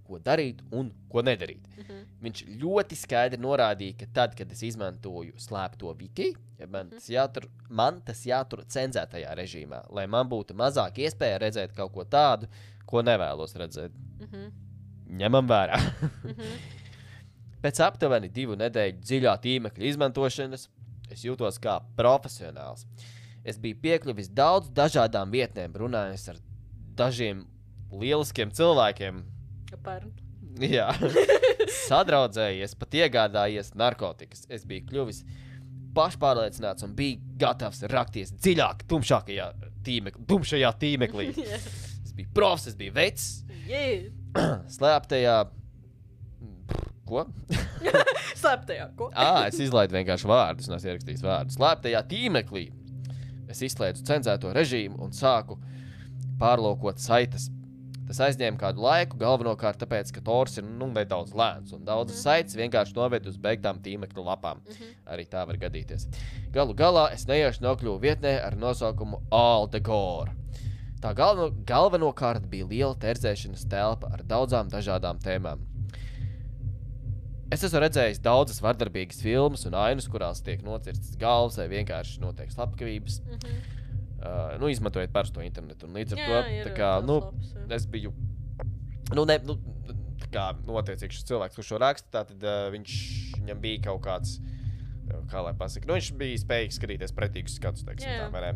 ko darīt un ko nedarīt. Mhm. Viņš ļoti skaidri norādīja, ka tad, kad es izmantoju slēpto wiki, ja man, tas jātur, man tas jātur cenzētajā režīmā, lai man būtu mazāk iespēja redzēt kaut ko tādu, ko nevēlos redzēt. Mhm. Ņemam vērā. Mhm. Pēc aptuveni divu nedēļu dziļā tīmekļa izmantošanas es jūtos kā profesionāls. Es biju piekļuvis daudz dažādām vietnēm, runājot ar dažiem lieliskiem cilvēkiem. Apparently. Jā, sadraudzējies, pat iegādājies narkotikas. Es biju kļuvis pašpārliecināts un biju gatavs rakties dziļāk, tumšākajā tīmeklī, tumšajā tīmeklī. Yeah. Es biju profs, es biju vecs, Yeah. slēptajā... Ko? Slēptajā, ko? Ā, es izlaidu vienkārši vārdus, un es ierakstījis vārdus. Slēptajā tīmeklī es izslēdzu cenzēto režīmu un sāku pārlūkot saites. Tas aizņēma kādu laiku, galvenokārt tāpēc, ka Tors ir nu, nedaudz lēns, un daudzas mm. saites vienkārši noved uz beigtām tīmekļa lapām. Mhm. Arī tā var gadīties. Galu galā es nejauši nokļuvu vietnē ar nosaukumu All the Gore. Tā galveno, galvenokārt bija liela terzēšanas telpa ar daudzām dažādām tēmām. Es esmu redzējis daudzas vardarbīgas filmas un ainas, kurās tiek nocirstas galvas vai vienkārši notiek slepkavības. Mhm. Uh, nu, izmantojot parasto internetu. Un līdz ar Jā, to, ir tā kā, tāds nu, labs, jā. es biju, nu, ne, nu, tā kā, nu, attiecīgi šis cilvēks, kurš šo raksta, tātad uh, viņš, viņam bija kaut kāds, kā lai pasaka, nu, viņš bija spējīgs skatīties pretīgus skatus, teiksim, Jā. tā, vai ne?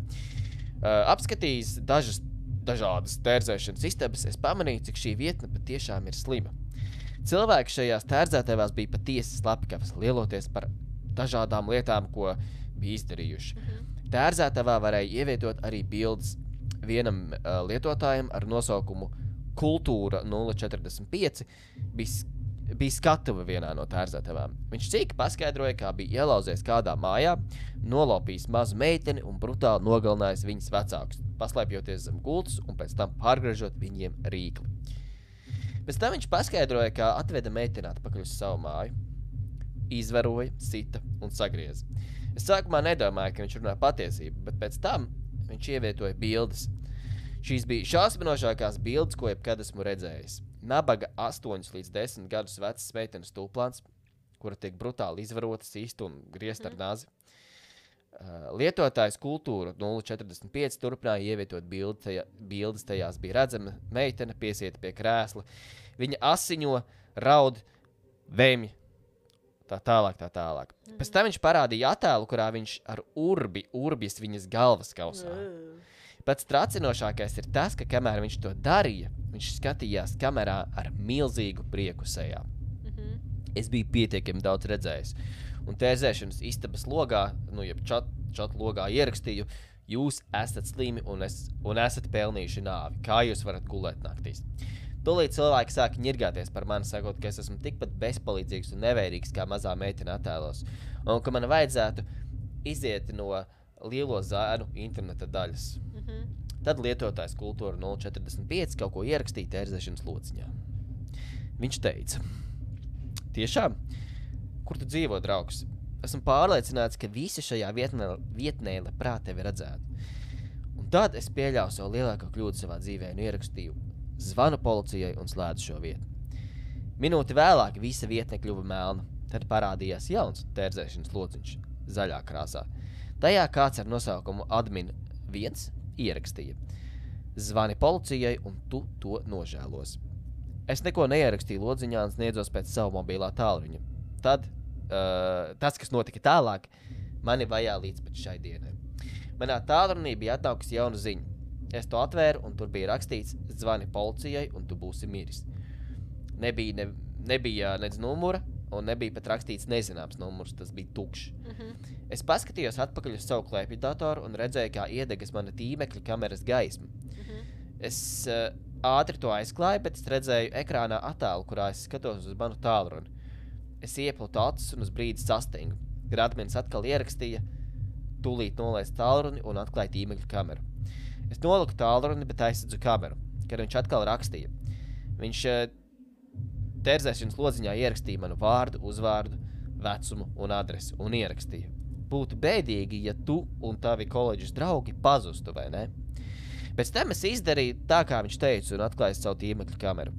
Uh, apskatījis dažas, dažādas tērzēšanas istabas, es pamanīju, cik šī vietne patiešām ir slima. Cilvēki šajās tērzētēvās bija patiesi slepkavas, lieloties par dažādām lietām, ko bija izdarījuši. Mhm. Tērzētavā varēja ievietot arī bildes vienam uh, lietotājam ar nosaukumu Kultūra nulle četrdesmit pieci bija, bija skatuve vienā no tērzētavām. Viņš cīki paskaidroja, kā bija ielauzies kādā mājā, nolopījis mazu meiteni un brutāli nogalinājis viņas vecākus, paslēpjoties zem gultas un pēc tam pārgriežot viņiem rīkli. Pēc tam viņš paskaidroja, kā atveda meiteni atpakaļ uz savu māju, izvaroja, sita un sagrieza. Es sākumā nedomāju, ka viņš runā patiesību, bet pēc tam viņš ievietoja bildes. Šīs bija šausminošākās bildes, ko jebkad esmu redzējis. Nabaga astoņus līdz desmit gadus vecas meitenes tūplāns, kura tiek brutāli izvarota, sīsta un griezt ar nazi. Uh, lietotājs Kultūra nulle četrdesmit pieci turpināja ievietot bildi, tajā, bildes, tajās bija redzama meitene piesieta pie krēsla. Viņa asiņo, raud, vemj. Tā tālāk, tā tālāk. Mm. Pēc tam viņš parādīja attēlu, kurā viņš ar urbi, urbjas viņas galvas kausā. Mm. Pats tracinošākais ir tas, ka kamēr viņš to darīja, viņš skatījās kamerā ar milzīgu prieku sejā. Mhm. Es biju pietiekami daudz redzējis. Un tērzēšanas istabas logā, nu, jeb čat, čat logā ierakstīju, jūs esat slimi un, es, un esat pelnījuši nāvi. Kā jūs varat gulēt naktīs? Tūlīt cilvēki sāka ņirgāties par mani, sakot, ka es esmu tikpat bezpalīdzīgs un nevērīgs kā mazā meitene attēlos. Un ka man vajadzētu iziet no lielo zēnu interneta daļas. Mhm. Tad lietotājs Kultūra nulle četrdesmit pieci kaut ko ierakstīja tērzēšanas lociņā. Viņš teica, tiešām, kur tu dzīvo, draugs? Esmu pārliecināts, ka visi šajā vietnē, vietnē labprāt tevi redzētu. Un tad es pieļauju savu lielāko kļūdu savā dzīvē un ierakstīju zvanu policijai un slēdzu šo vietu. Minūti vēlāk visa vietne kļuva melna. Tad parādījās jauns tērzēšanas lociņš zaļā krāsā. Tajā kāds ar nosaukumu admin viens ierakstīja. Zvani policijai un tu to nožēlos. Es neko neierakstīju lodziņā un sniedzos pēc savu mobilā tālruņa. Tad, uh, tas, kas notika tālāk, mani vajā līdz pat šai dienai. Manā tālrunī bija atnākusi jauna ziņa. Es to atvēru un tur bija rakstīts zvani policijai un tu būsi miris. Nebija, ne, nebija nec numura un nebija pat rakstīts nezināms numurs, tas bija tukšs. Mhm. Es paskatījos atpakaļ uz savu klēpju datoru un redzēju, kā iedegas mana tīmekļa kameras gaisma. Mhm. Es uh, ātri to aizklāju, bet es redzēju ekrānā attēlu, kurā es skatos uz manu tālruni. Es ieplūtu acis un uz brīdi sastingu. Kad admins atkal ierakstīja, tūlīt nolaist tālruni un atklāja tīmekļa kameru. Es noliku tālruni, bet aizsadzu kameru, kad viņš atkal rakstīja. Viņš uh, tērzēšanas lodziņā ierakstīja manu vārdu, uzvārdu, vecumu un adresi un ierakstīja. Būtu bēdīgi, ja tu un tavi koledžas draugi pazustu, vai ne? Pēc tam es izdarīju tā, kā viņš teica, un atklāju savu tīmekļa kameru.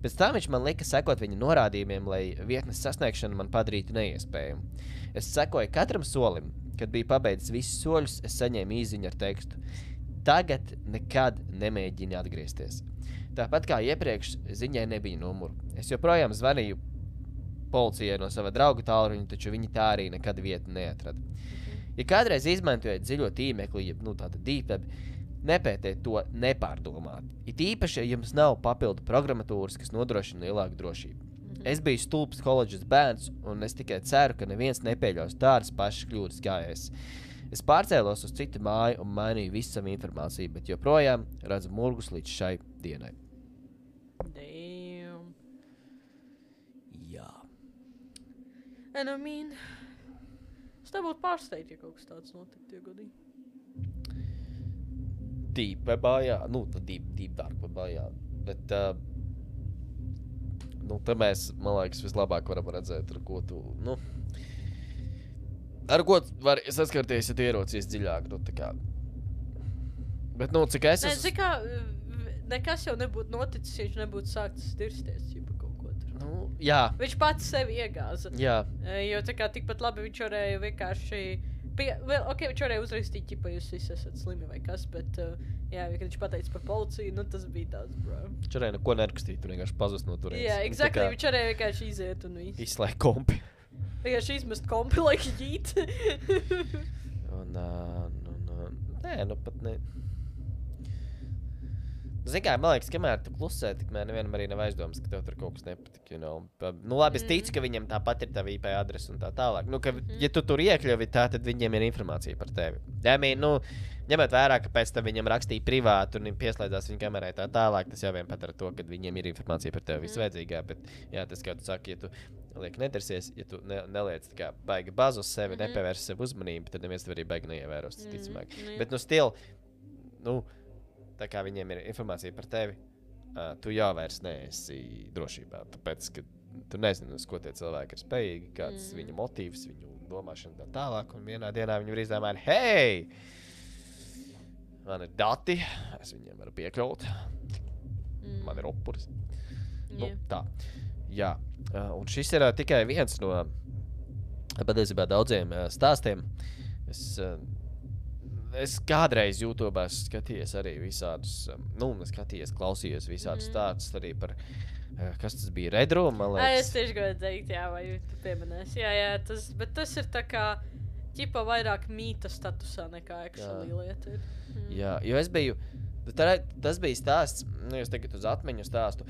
Pēc tam viņš man lika sekot viņa norādījumiem, lai vietnes sasniegšanu man padarītu neiespējumu. Es sekoju katram solim. Kad biju pabeidzis visus soļus, es saņēmu īziņu ar tekstu. Tagad nekad nemēģini atgriezties. Tāpat kā iepriekš, ziņai nebija numuru. Es joprojām zvanīju policijai no sava drauga tālruņa, taču viņi tā arī nekad vietu neatrada. Ja kādreiz izmantojat dziļo tīmekli, ja nu, tāda deep web, nepētiet to nepārdomāt. It īpaši, ja jums nav papildu programmatūras, kas nodrošina lielāku drošību. Mhm. Es biju stulbs koledžas bērns, un es tikai ceru, ka neviens nepieļaus tādas pašas kļūdas kā es. Es pārcēlos uz citu māju un mainīju visu savu informāciju, bet joprojām redzu murgus līdz šai dienai. Damn. Jā. And I mean, es te būtu pārsteigts, ja kaut kas tāds notiktu, ja godīgi. Deep webā, jā. Nu, deep, deep dark webā, jā. Bet, uh, nu, te mēs, man liekas, vislabāk varam redzēt, ar ko tu, nu, ar ko var saskarties, ja tu ieraucies dziļāk, nu, tā kā, Bet, nu, cik es Nē, esmu... zini kā, v- nekas jau nebūtu noticis, ja viņš nebūtu sākts dirsties, ķipa kaut ko tur. Nu, jā, Viņš pats sevi iegāza. jā. E, Jo tā kā tikpat labi viņš varēja vienkārši... Pie, vēl, ok, viņš varēja uzrakstīt, ķipa, jūs visi esat slimi vai kas, bet, uh, jā, kad viņš pateica par policiju, nu tas bija tāds, bro. Viņš varēja neko nerakstīt, tur vienkārši pazust no turienes. Jā, Nu, tā exactly, kā viņš varēja vienkārši iziet un viss. Izslēgt kompi. Vienkārši izmest kompi, lai jīt. Un, uh, nu, nu, nē, nu pat ne... Zini kā, man liekas, kamēr tu klusē, tikmēr nevienam arī nav aizdomas, ka tev tur kaut kas nepatik, you know. Pa- Nu labi, es ticu, ka viņam tāpat ir tava I P adrese un tā tālāk. Nu, ka, ja tu tur iekļuvi tā, tad viņiem ir informācija par tevi. I mean, nu, ņemot vērā, ka pēc tam viņam rakstīja privāti un pieslēdzās viņa kamerai tā tālāk, tas jau vien pat ar to, ka viņiem ir informācija par tevi visvajadzīgā, bet, jā, tas, kā tu saki, ja tu liek nedarsies, ja tu ne, neliec tā kā baigi bazu uz sevi, Mhm. nepievērs sev uzmanību, tad neviens tev arī baigi neievēros, Mhm, ticamāk. nu jā. Bet, nu, stil, nu, tā kā viņiem ir informācija par tevi, uh, tu jau vairs neesi drošībā. Tāpēc, ka tu nezini, uz ko tie cilvēki ir spējīgi, kāds Mm. viņu motīvs, viņu domāšana tā tālāk. Un vienā dienā viņi var izdomāt, hei, man ir dati, es viņiem varu piekļūt, Mm. man ir upuris. Nu, Jā. tā. Jā. Uh, un šis ir uh, tikai viens no patiesībā daudziem uh, stāstiem. Es, uh, es kādreiz YouTube skatījos arī visādus, um, nu, skatījos, klausījos visādus Mhm. stāstus arī par, uh, kas tas bija, Red Room, man Ai, es liekas. tieši gribēju teikt, jā, vai tu pieminēsi. Jā, jā, tas, bet tas ir tā kā, ķipa vairāk mīta statusā nekā actually lieta ir. Mm. Jā, jo es biju, tā, tas bija stāsts, nu, es tagad uz atmiņu stāstu.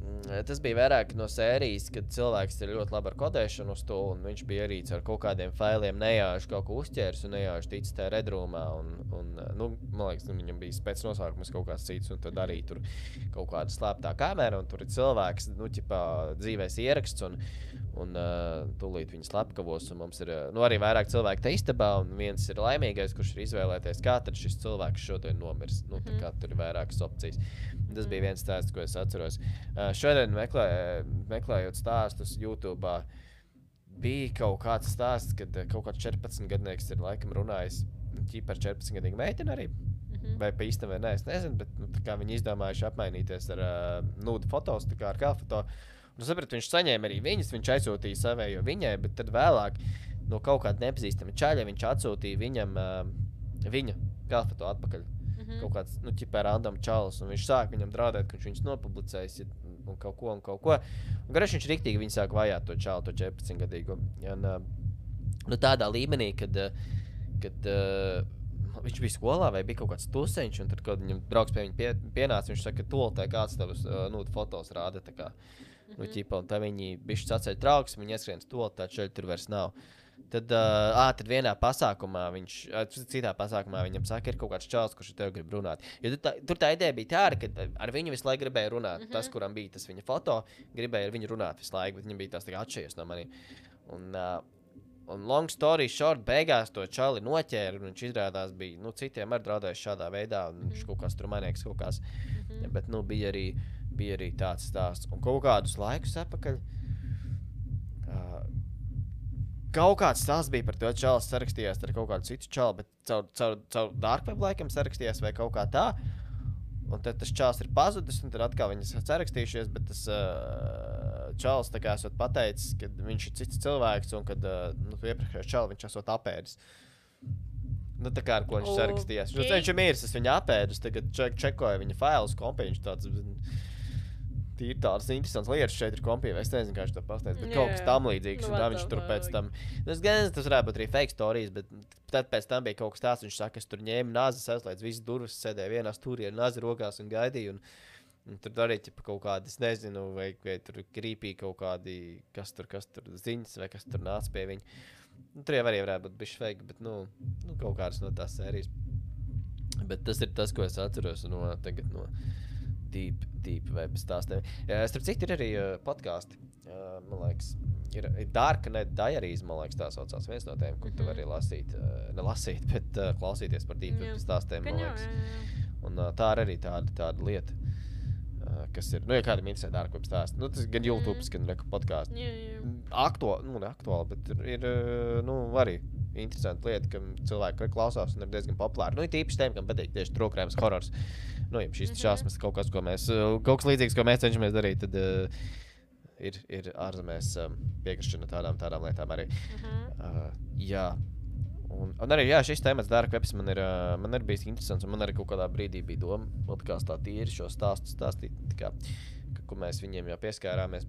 Mm, Tas bija vairāk no sērijas, kad cilvēks ir ļoti labi ar kodēšanu uz to, un viņš bija arī ar kaut kādiem failiem nejauši kaut ko uzķērs un nejauši ticis tajā redrūmā, un, un, nu, man liekas, nu, viņam bija pēc nosaukums kaut kāds cits, un tad arī tur kaut kāda slēptā kamera, un tur ir cilvēks, nu, ķipā dzīvēs ieraksts, un, un uh, tūlīt viņi slepkavos, un mums ir, uh, nu, arī vairāk cilvēku te istabā, un viens ir laimīgais, kurš ir izvēlēties, kā tad šis cilvēks šodien nomirs, nu, tā kā tur ir vairākas opcijas. Tas bija viens stāsts, ko es atceros. Uh, šodien meklē, meklējot stāstus YouTube, bija kaut kāds stāsts, kad uh, kaut kāds četrpadsmitgadnieks ir laikam runājis ķip par četrpadsmitgadīgu meiteni arī. Mhm. Vai pa īstam vai nē, es nezinu, bet nu, tā kā viņi izdomājuši apmainīties ar uh, nude fotos, tā kā ar kāfoto. Un sapratu, viņš saņēma arī viņas, viņš aizsūtīja savējo viņai, bet tad vēlāk no kaut kāda nepazīstama čaļa viņš atsūtīja viņam uh, viņa kāfoto atpakaļ. Mhm. Kaut kāds, nu, ķipē random čalis, un viņš sāk viņam draudēt, ka viņš viņus nopublicējis, ja, un kaut ko, un kaut ko. Un garš viņš riktīgi viņu sāk vajāt to čalu, to četrpadsmitgadīgo. Un, uh, nu, tādā līmenī, kad, uh, kad uh, viņš bija skolā vai bija kaut kāds tuseņš, un tad, kad viņam draugs pie viņa pie, pienāca, viņš saka, ka tolotē kāds tavus uh, nu, fotos rāda, tā kā, nu, ķipa, un tā viņi bišķi sacēja trauks, viņi ieskrien uz tolotē, šeit tur vairs nav. Tad, uh, ā, tad vienā pasākumā viņš, uh, citā pasākumā viņam saka, ir kaut kāds čalis, kurš ar tevi grib runāt. Jo tur tā, tur tā ideja bija tāda, ka ar viņu visu laiku gribēja runāt. Mm -hmm. Tas, kuram bija tas viņa foto, gribēja ar viņu runāt visu laiku, bet viņam bija tās tā kā atšķiries no maniem. Un, uh, un long story short, beigās to čali noķēra, un viņš izrādās bija, nu, citiem arī draudējis šādā veidā, un viņš kaut kāds tur manieks kaut kāds. Mhm. Bet, nu, bija arī, bija arī tāds stāsts. Un kaut kādus laikus atpakaļ, uh, kaut kāds stāsts bija par to, čalis sarakstījās ar kaut kādu citu čalu, bet caur, caur, caur dark web laikam sarakstījās vai kaut kā tā. Un tad tas čalis ir pazudis, un tad atkal viņas sarakstījušies, bet tas uh, čalis tā kā esot pateicis, ka viņš ir cits cilvēks, un kad uh, nu, iepriekšējais čalis viņš esot apēdis. Nu, tā kā ar ko viņš sarakstījās. Okay. Viņš, viņš ir miris, es viņu apēdus, tagad ček, čekoju viņa failus kompī, viņš tāds... Ir tādas interesantas lietas šeit ir kompija, es nezinu, kā viņš to pasniedz, bet Jā, kaut kas jā. tam līdzīgs, Nu, un tā what viņš the tur pēc fuck? tam, nu, es gan nezinu, tas varētu būt arī fake stories, bet tad pēc tam bija kaut kas tāds, viņš saka, es tur ņēmu nāzes, aizslēdz visas durvis, sēdēju vienā stūrī ar nāzi rokās un gaidīju, un, un tur arī ķipa kaut kādi, es nezinu, vai, vai tur krīpī kaut kādi, kas tur, kas tur ziņas, vai kas tur nāca pie viņa. Nu, tur jau arī varētu būt bišķi fake, bet, nu, nu, kaut kādas no tās sērijas. Bet tas ir tas, ko es atceros no tagad no deep, deep web stāstiem. Uh, starp citu, ir arī uh, podkāsti. Uh, man liekas, ir, ir Dark Net Diaries, man liekas, tā saucās viens no tiem, kur tu Mhm. vari lasīt, uh, ne lasīt, bet uh, klausīties par deep Jā. web stāstiem, man Gan jau, liekas. jā, jā. Un uh, tā ir arī tāda, tāda lieta. Uh, kas ir, nu, ja kādam interesē dark web stāsts, nu, tas gan YouTube, mm. gan reku podkāsts. Jā, jā. Aktuāli, nu, ne aktuāli, bet ir, ir, nu, arī interesanti lieta, ka cilvēki klausās un ir diezgan populāri. Nu, ir tīpaši tiem, kam patīk tieši trūkrājums horors. Nu, ja šīs Mhm. šausmas kaut kas, ko mēs, kaut kas līdzīgs, ko mēs cenšamies darīt, tad uh, ir, ir ārzemēs um, piekrišana tādām, tādām lietām arī. Mhm. Uh, jā. Un, un arī, jā, šis temats dark webs man ir, uh, man ir bijis interesants, un man arī kaut kādā brīdī bija doma, podkāstā tīri šo stāstu stāstīt, tā kā, ka, ko mēs viņiem jau pieskārāmies.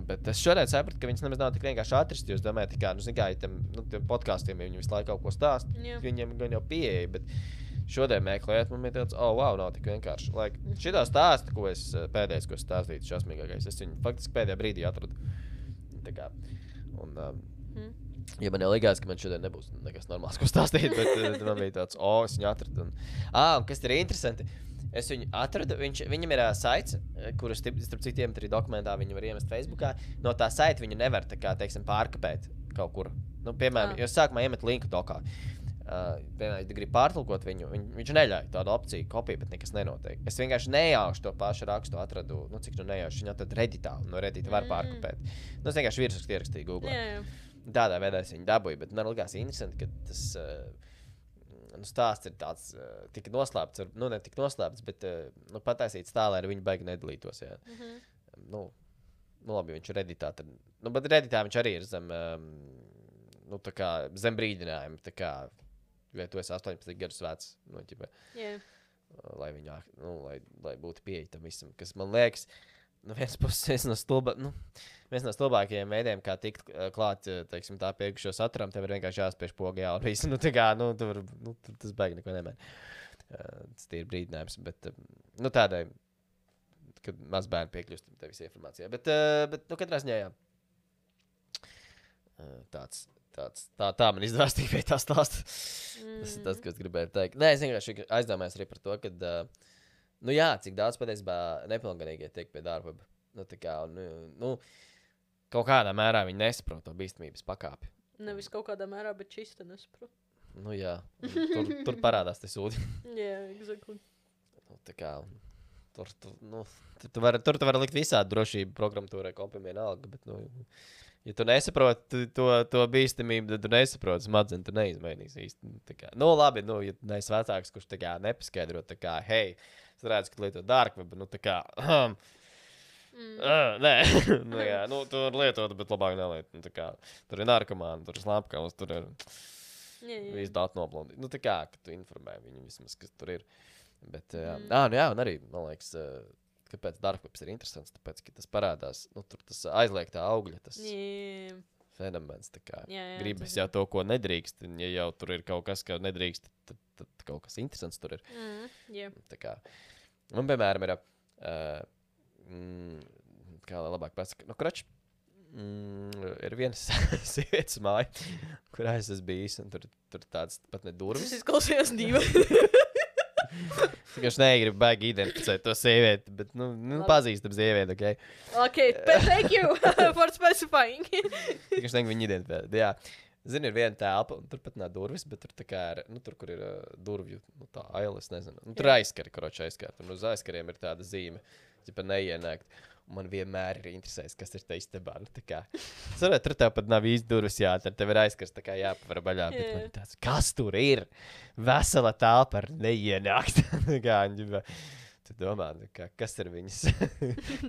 Bet es šodien sapratu, ka viņas nemaz nav tik vienkārši atrast, jo es domāju, tā kā, nu, zin kā, ja tiem, nu, tiem podkāstiem, ja viņi visu laiku kaut ko stāst, Jā. viņiem gan jau pieeja, bet šodien mēklējot, man bija tāds, oh, wow, nav tik vienkārši. Like, šitā stāsta, ko es pēdējais, ko es stāstīju, šausmīgākais, es viņu faktiski pēdējā brīdī atradu. Tā kā, un, um, Mhm. ja man jau likās, ka man šodien nebūs nekas normāls, ko stāstīt, bet uh, man bija tāds, oh, es viņu atradu. Un, ah, un kas ir interesanti, es viņu atradu, viņš, viņam ir uh, saits, kurus, starp citiem, arī dokumentā viņu var iemest Facebookā. No tā saita viņu nevar, tā kā, teiksim, pārkapēt kaut kur. Nu, piemēram, Ah. jo sākumā iemet linku dokā. Uh, piemēram, ja grib pārtulkot viņu, viņ, viņš neļauj tādu opciju kopiju, bet nekas nenotiek. Es vienkārši nejaušu to pašu rakstu atradu, nu, cik nu nejaušu, viņu atradu Redditā, un no Reddita var Mm. pārkapēt. Nu, es vienkārši virsrakstu ierakstīju Google. Jā, jā. Tādā veidā es viņu dabūju, bet man likās interesanti, ka tas uh, nu, stāsts ir tāds, uh, tik noslēpts, ar, nu, ne tik noslēpts, bet uh, nu, pataisīts tā, lai ar viņu baigi nedalītos, jā. Mhm. Nu, nu, labi, viņš ir Redditā, tad, nu, bet Redditā viņš arī ir zem, um, nu, tā kā, zem brīdinājuma, tā kā, vai tu esi astoņpadsmit gadus vecs, nu, ķipa, Jā. lai viņu, nu, lai, lai būtu pieeja tam visam, kas man liekas, nu, viens puses, viens no stulba, nu, viens no stulbākajiem veidiem, kā tikt uh, klāt, uh, teiksim, tā pieejušo saturam, tev ir vienkārši jāspiež pogā, un viss, nu, tā kā, nu, tu var, nu, tu, tas baigi neko nemēr. Uh, tas ir brīdinājums, bet, uh, nu, tādai, kad maz bērni piekļūst tevis informācijā, bet, uh, bet, nu, katrā ziņā, jā. Uh, tāds, tāds, tā, tā man izdevās tikai tā stāsta. Mm. Tas ir tas, ko es gribēju teikt. Nē, es vienkārši aizdomājos arī par to, ka, uh, nu jā, cik daudz patiesībā nepilngadīgie tiek pie darba. Nu, tā kā, nu, nu, kaut kādā mērā viņi nesaprot to bīstamības pakāpi. Nevis kaut kādā mērā, bet čista nesaprotu. Nu jā, tur, tur parādās te sūdi. Jā, exactly. Nu, tā kā, tur, tu, nu, tur, tu vari, tur tu vari likt visādi drošību programmatūrai, kompim vienalga, bet, nu, ja tu nesaproti to, to bīstamību, tad tu nesaproti smadzen, tu neizmainīs īsti. Tā kā, nu, labi, nu, ja neesi vecāks, kurš tā kā nepaskaidro, tā kā, hei, es redzu, ka lieto dark web, nu, tā kā, um, Mm. uh, nē, nu, jā, nu, tu vari lietot, bet labāk neliet. Nu, tā kā, tur ir narkomāni, tur ir slampkavas, tur ir Jā, jā. visu datu noblondīt. Nu, tā kā, ka tu informē viņu vismaz, kas tur ir. Bet, jā, Mm. ā, nu, jā, un arī, man liekas, uh, kāpēc dark webs ir interesants, tāpēc, ka tas parādās, nu, tur tas aizliegtā augļa, tas Jā, fenomens, tā kā, jā, jā, gribas tas jau to, ko nedrīkst, un ja jau tur ir kaut kas, ko nedrīkst, tad, tad kaut kas interesants tur ir. Mm, jā. Tā kā, un, piemēram, ir, uh, mm, kā lai labāk pasaka, nu, krač, mm, ir viena sievietes māja, kurā es esmu bijis, un tur, tur tāds pat ne Tas durvis. izklausījās dīvaini. Es vienkārši negribu baigi identificēt to sievieti, bet, nu, nu Labi. pazīstam sievieti, ok? Ok, but thank you for specifying. Vienkārši negribu viņu identificēt, bet jā. Zini, ir viena telpa, un tur pat nav durvis, bet tur tā kā ir, nu, tur, kur ir uh, durvju, nu, tā aila, es nezinu. Nu, tur Jā. aizskari, koroči aizskart, un uz aizskariem ir tāda zīme, ķipa neienākt. Un man vienmēr ir interesējis, kas ir te istabā, nu, tā kā. Saprāt, tur tev pat nav īsti durvis jāatver, tev ir aizskars, tā kā jāpavar baļā, bet Jā. man ir tāds, kas tur ir? Vesela telpa ar neienākt. Tā kā, ģipa, tu domā, nu, kā, kas ir viņas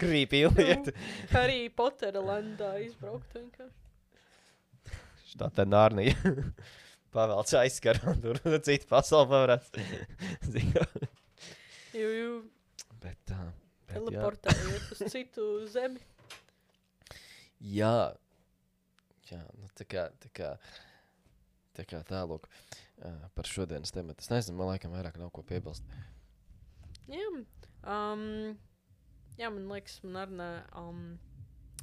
creepy lieta? Harry Pottera landā izbraukt vienkārši. Tā tā nārnija. Pavelc aizskar, un tur cita pasauli pavarās. Jū, jū, Bet tā. Bet, jā. teleportējies uz citu zemi. Jā. Jā, nu tā kā, tā kā, tā kā tālūk uh, par šodienas tematu. Es nezinu, man laikam vairāk nav ko piebilst. Jā, um, jā, man liekas, man arī ne, um,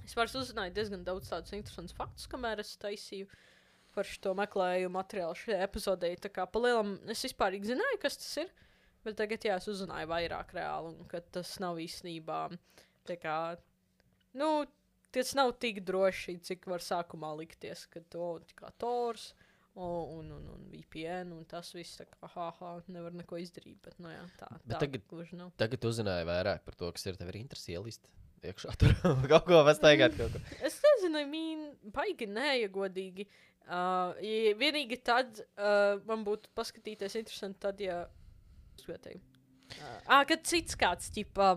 es vairs uzzināju diezgan daudz tādus interesantus faktus, kamēr es taisīju par šo meklējumu materiālu šajā epizodē. Tā kā pa lielam es vispārīgi zināju, kas tas ir, bet tagad jā, es uzzināju vairāk reāli, un ka tas nav īstenībā, tā kā, nu, tas nav tik droši, cik var sākumā likties, ka to, tā kā Tors un, un, un V P N, un tas viss tā kā, ha, ha, nevar neko izdarīt, bet, nu jā, tā, Bet tā tagad- gluži nav. Tagad uzzināju vairāk par to, kas ir tev ir interesi ielist iekšā tur kaut ko pastaigāt kaut ko. Es nezinu, mīn, baigi nē, ja godīgi. Uh, ja vienīgi tad uh, man būtu paskatīties interesanti tad, ja... Skatēju. Uh, ah, kad cits kāds, ķipā,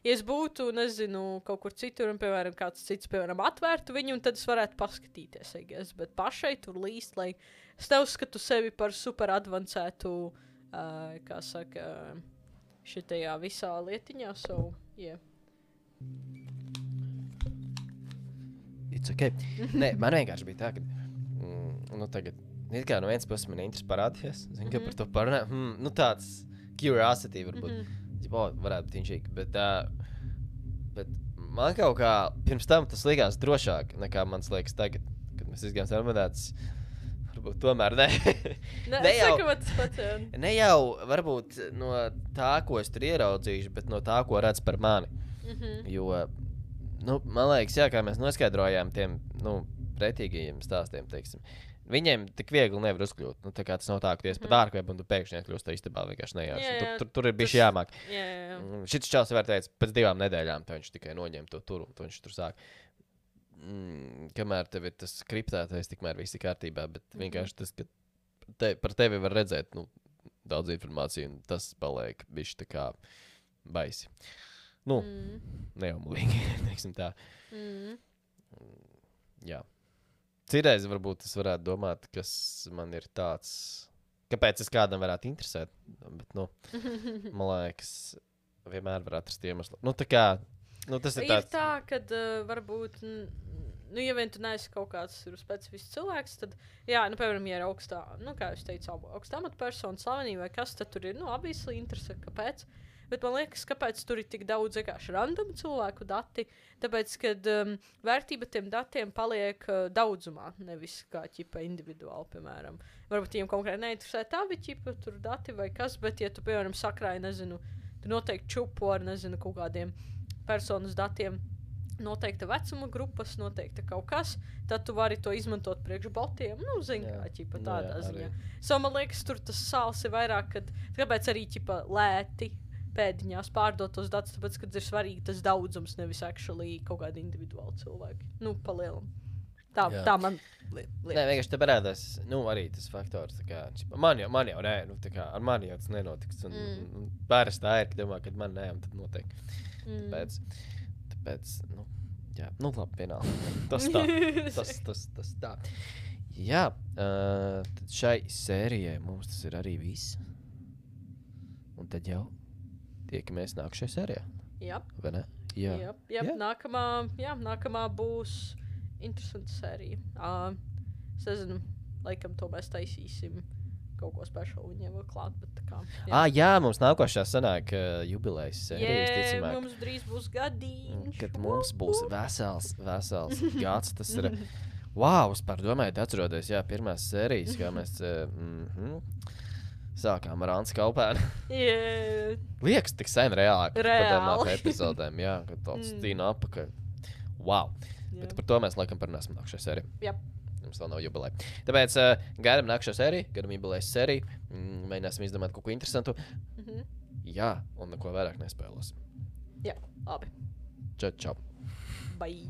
ja es būtu, nezinu, kaut kur citur, un, piemēram, kāds cits, piemēram, atvērtu viņu, un tad es varētu paskatīties, I guess, bet pašai tur līst, lai es neuzskatu sevi par super advancētu, uh, kā saka, šitajā visā lietiņā, so, yeah. It's okay. Nē, man vienkārši bija tā, ka, mm, nu tagad, it kā no vienas puses man interesi parādījies, zinu, ka Mhm. par to parunā, hmm, nu tāds curiosity varbūt, Mhm. mm-hmm. o, varētu būt inšīgi, bet, uh, bet man kaut kā, pirms tam tas likās drošāk, nekā mans liekas tagad, kad mēs izgājām sarunātas, varbūt tomēr ne. Ne, Ne es jau- saku, man tas pats, jā. Ne jau varbūt no tā, ko es tur ieraudzīšu, bet no tā, ko redz par mani. Mhm. Jo, nu, man liekas, jā, kā mēs noskaidrojām tiem, nu, pretīgajiem stāstiem, teiksim, viņiem tik viegli nevar uzkļūt. Nu, tā kā tas nav tā, ka tu esi Mhm. pat ārkvēp un tu pēkšņi iekļūst tā istabā vienkārši nejauši. Jā, Tur, jā, tur, tur ir bijis tas- jāmāk. Jā, jā, jā. Mm, Šis čels var teikt, pēc divām nedēļām tā viņš tikai noņem to tur, un to viņš tur sāk. Mm, kamēr tev ir tas kriptētais, tikmēr viss ir kārtībā, bet Mhm. vienkārši tas, ka te, par tevi var redzēt, nu, daudz informāciju, un tas paliek bišķi tā kā baisi. Nu, Mm. neumulīgi, teiksim tā. Mm. Jā. Citreiz varbūt es varētu domāt, kas man ir tāds, kāpēc es kādam varētu interesēt, bet, nu, man liekas, vienmēr var atrast iemeslu. Nu, tā kā, nu, tas ir Ir tāds. tā, ka uh, varbūt, n- nu, ja vien tu neesi kaut kāds tur specifisks cilvēks, tad, jā, nu, piemēram, ja ir augstā, nu, kā jūs teicu, abu- augstā amatpersona, slavenība vai kas, tad tur ir, nu, obviously interese, kāpēc. Bet man liekas, kāpēc tur ir tik daudz vienkārši random cilvēku dati, tāpēc, kad um, vērtība tiem datiem paliek uh, daudzumā, nevis kā ķipa individuāli, piemēram. Varbūt viņiem konkrēti neinteresē tavi ķipa tur dati vai kas, bet, ja tu, piemēram, sakrāji, nezinu, tu noteikti čupo ar, nezinu, kaut kādiem personas datiem, noteikta vecuma grupas, noteikta kaut kas, tad tu vari to izmantot priekš botiem, nu, zini, Jā. kā ķipa Nu, tādā jā, ziņā. arī. So, man liekas, tur tas sāls ir vairāk, kad, kāpēc arī ķipa lēti pēdiņās pārdot tos datus, tāpēc, kad ir svarīgi tas daudzums, nevis actually kaut kādi individuāli cilvēki. Nu, palielam. Tā, Jā. tā man li Nē, liekas. vienkārši te parādās, nu, arī tas faktors, tā kā, čipa, man jau, man jau, nē, nu, tā kā, ar mani jau tas nenotiks, un, Mm. mm. un pāris tā ir, ka domā, kad man nē, un tad notiek. Mm. Tāpēc, tāpēc, nu, jā, nu, labi, vienalga. Tas tā, tas, tas, tas tā. Jā, uh, tad šai sērijai mums tas ir arī viss. Un tad jau tiekamies nākušajā sērijā, Jā, vai ne? Jā. jā, jā, Jā. nākamā, jā, nākamā būs interesanta sērija. Uh, es nezinu, laikam to mēs taisīsim kaut ko speciālu viņiem vēl klāt, bet tā kā. Ah, jā, mums nākošā sanāk uh, jubilejas sērija, Jā, visticamāk. mums drīz būs gadiņš. Kad mums būs vesels, vesels gads, tas ir. Wow, es par domāju, atceroties, jā, pirmās sērijas, kā mēs uh, mm -hmm, sākām ar Ansu Kalpēnu. Jā, Liekas, tik sen reāli. kad Reāli. padomā par epizodēm, jā, kad tāds Mm. stīna apakaļ. Wow. jā. Bet par to mēs laikam parunāsim nākošajā sērijā. Jā. Mums vēl nav jubileja. Tāpēc uh, gaidām nākošo sēriju, gaidām jubilejas sēriju. Mm, mēģināsim izdomāt kaut ko interesantu. Mhm. Jā, un neko vairāk nespēlēsim. Jā, labi. Čau, čau. Bye.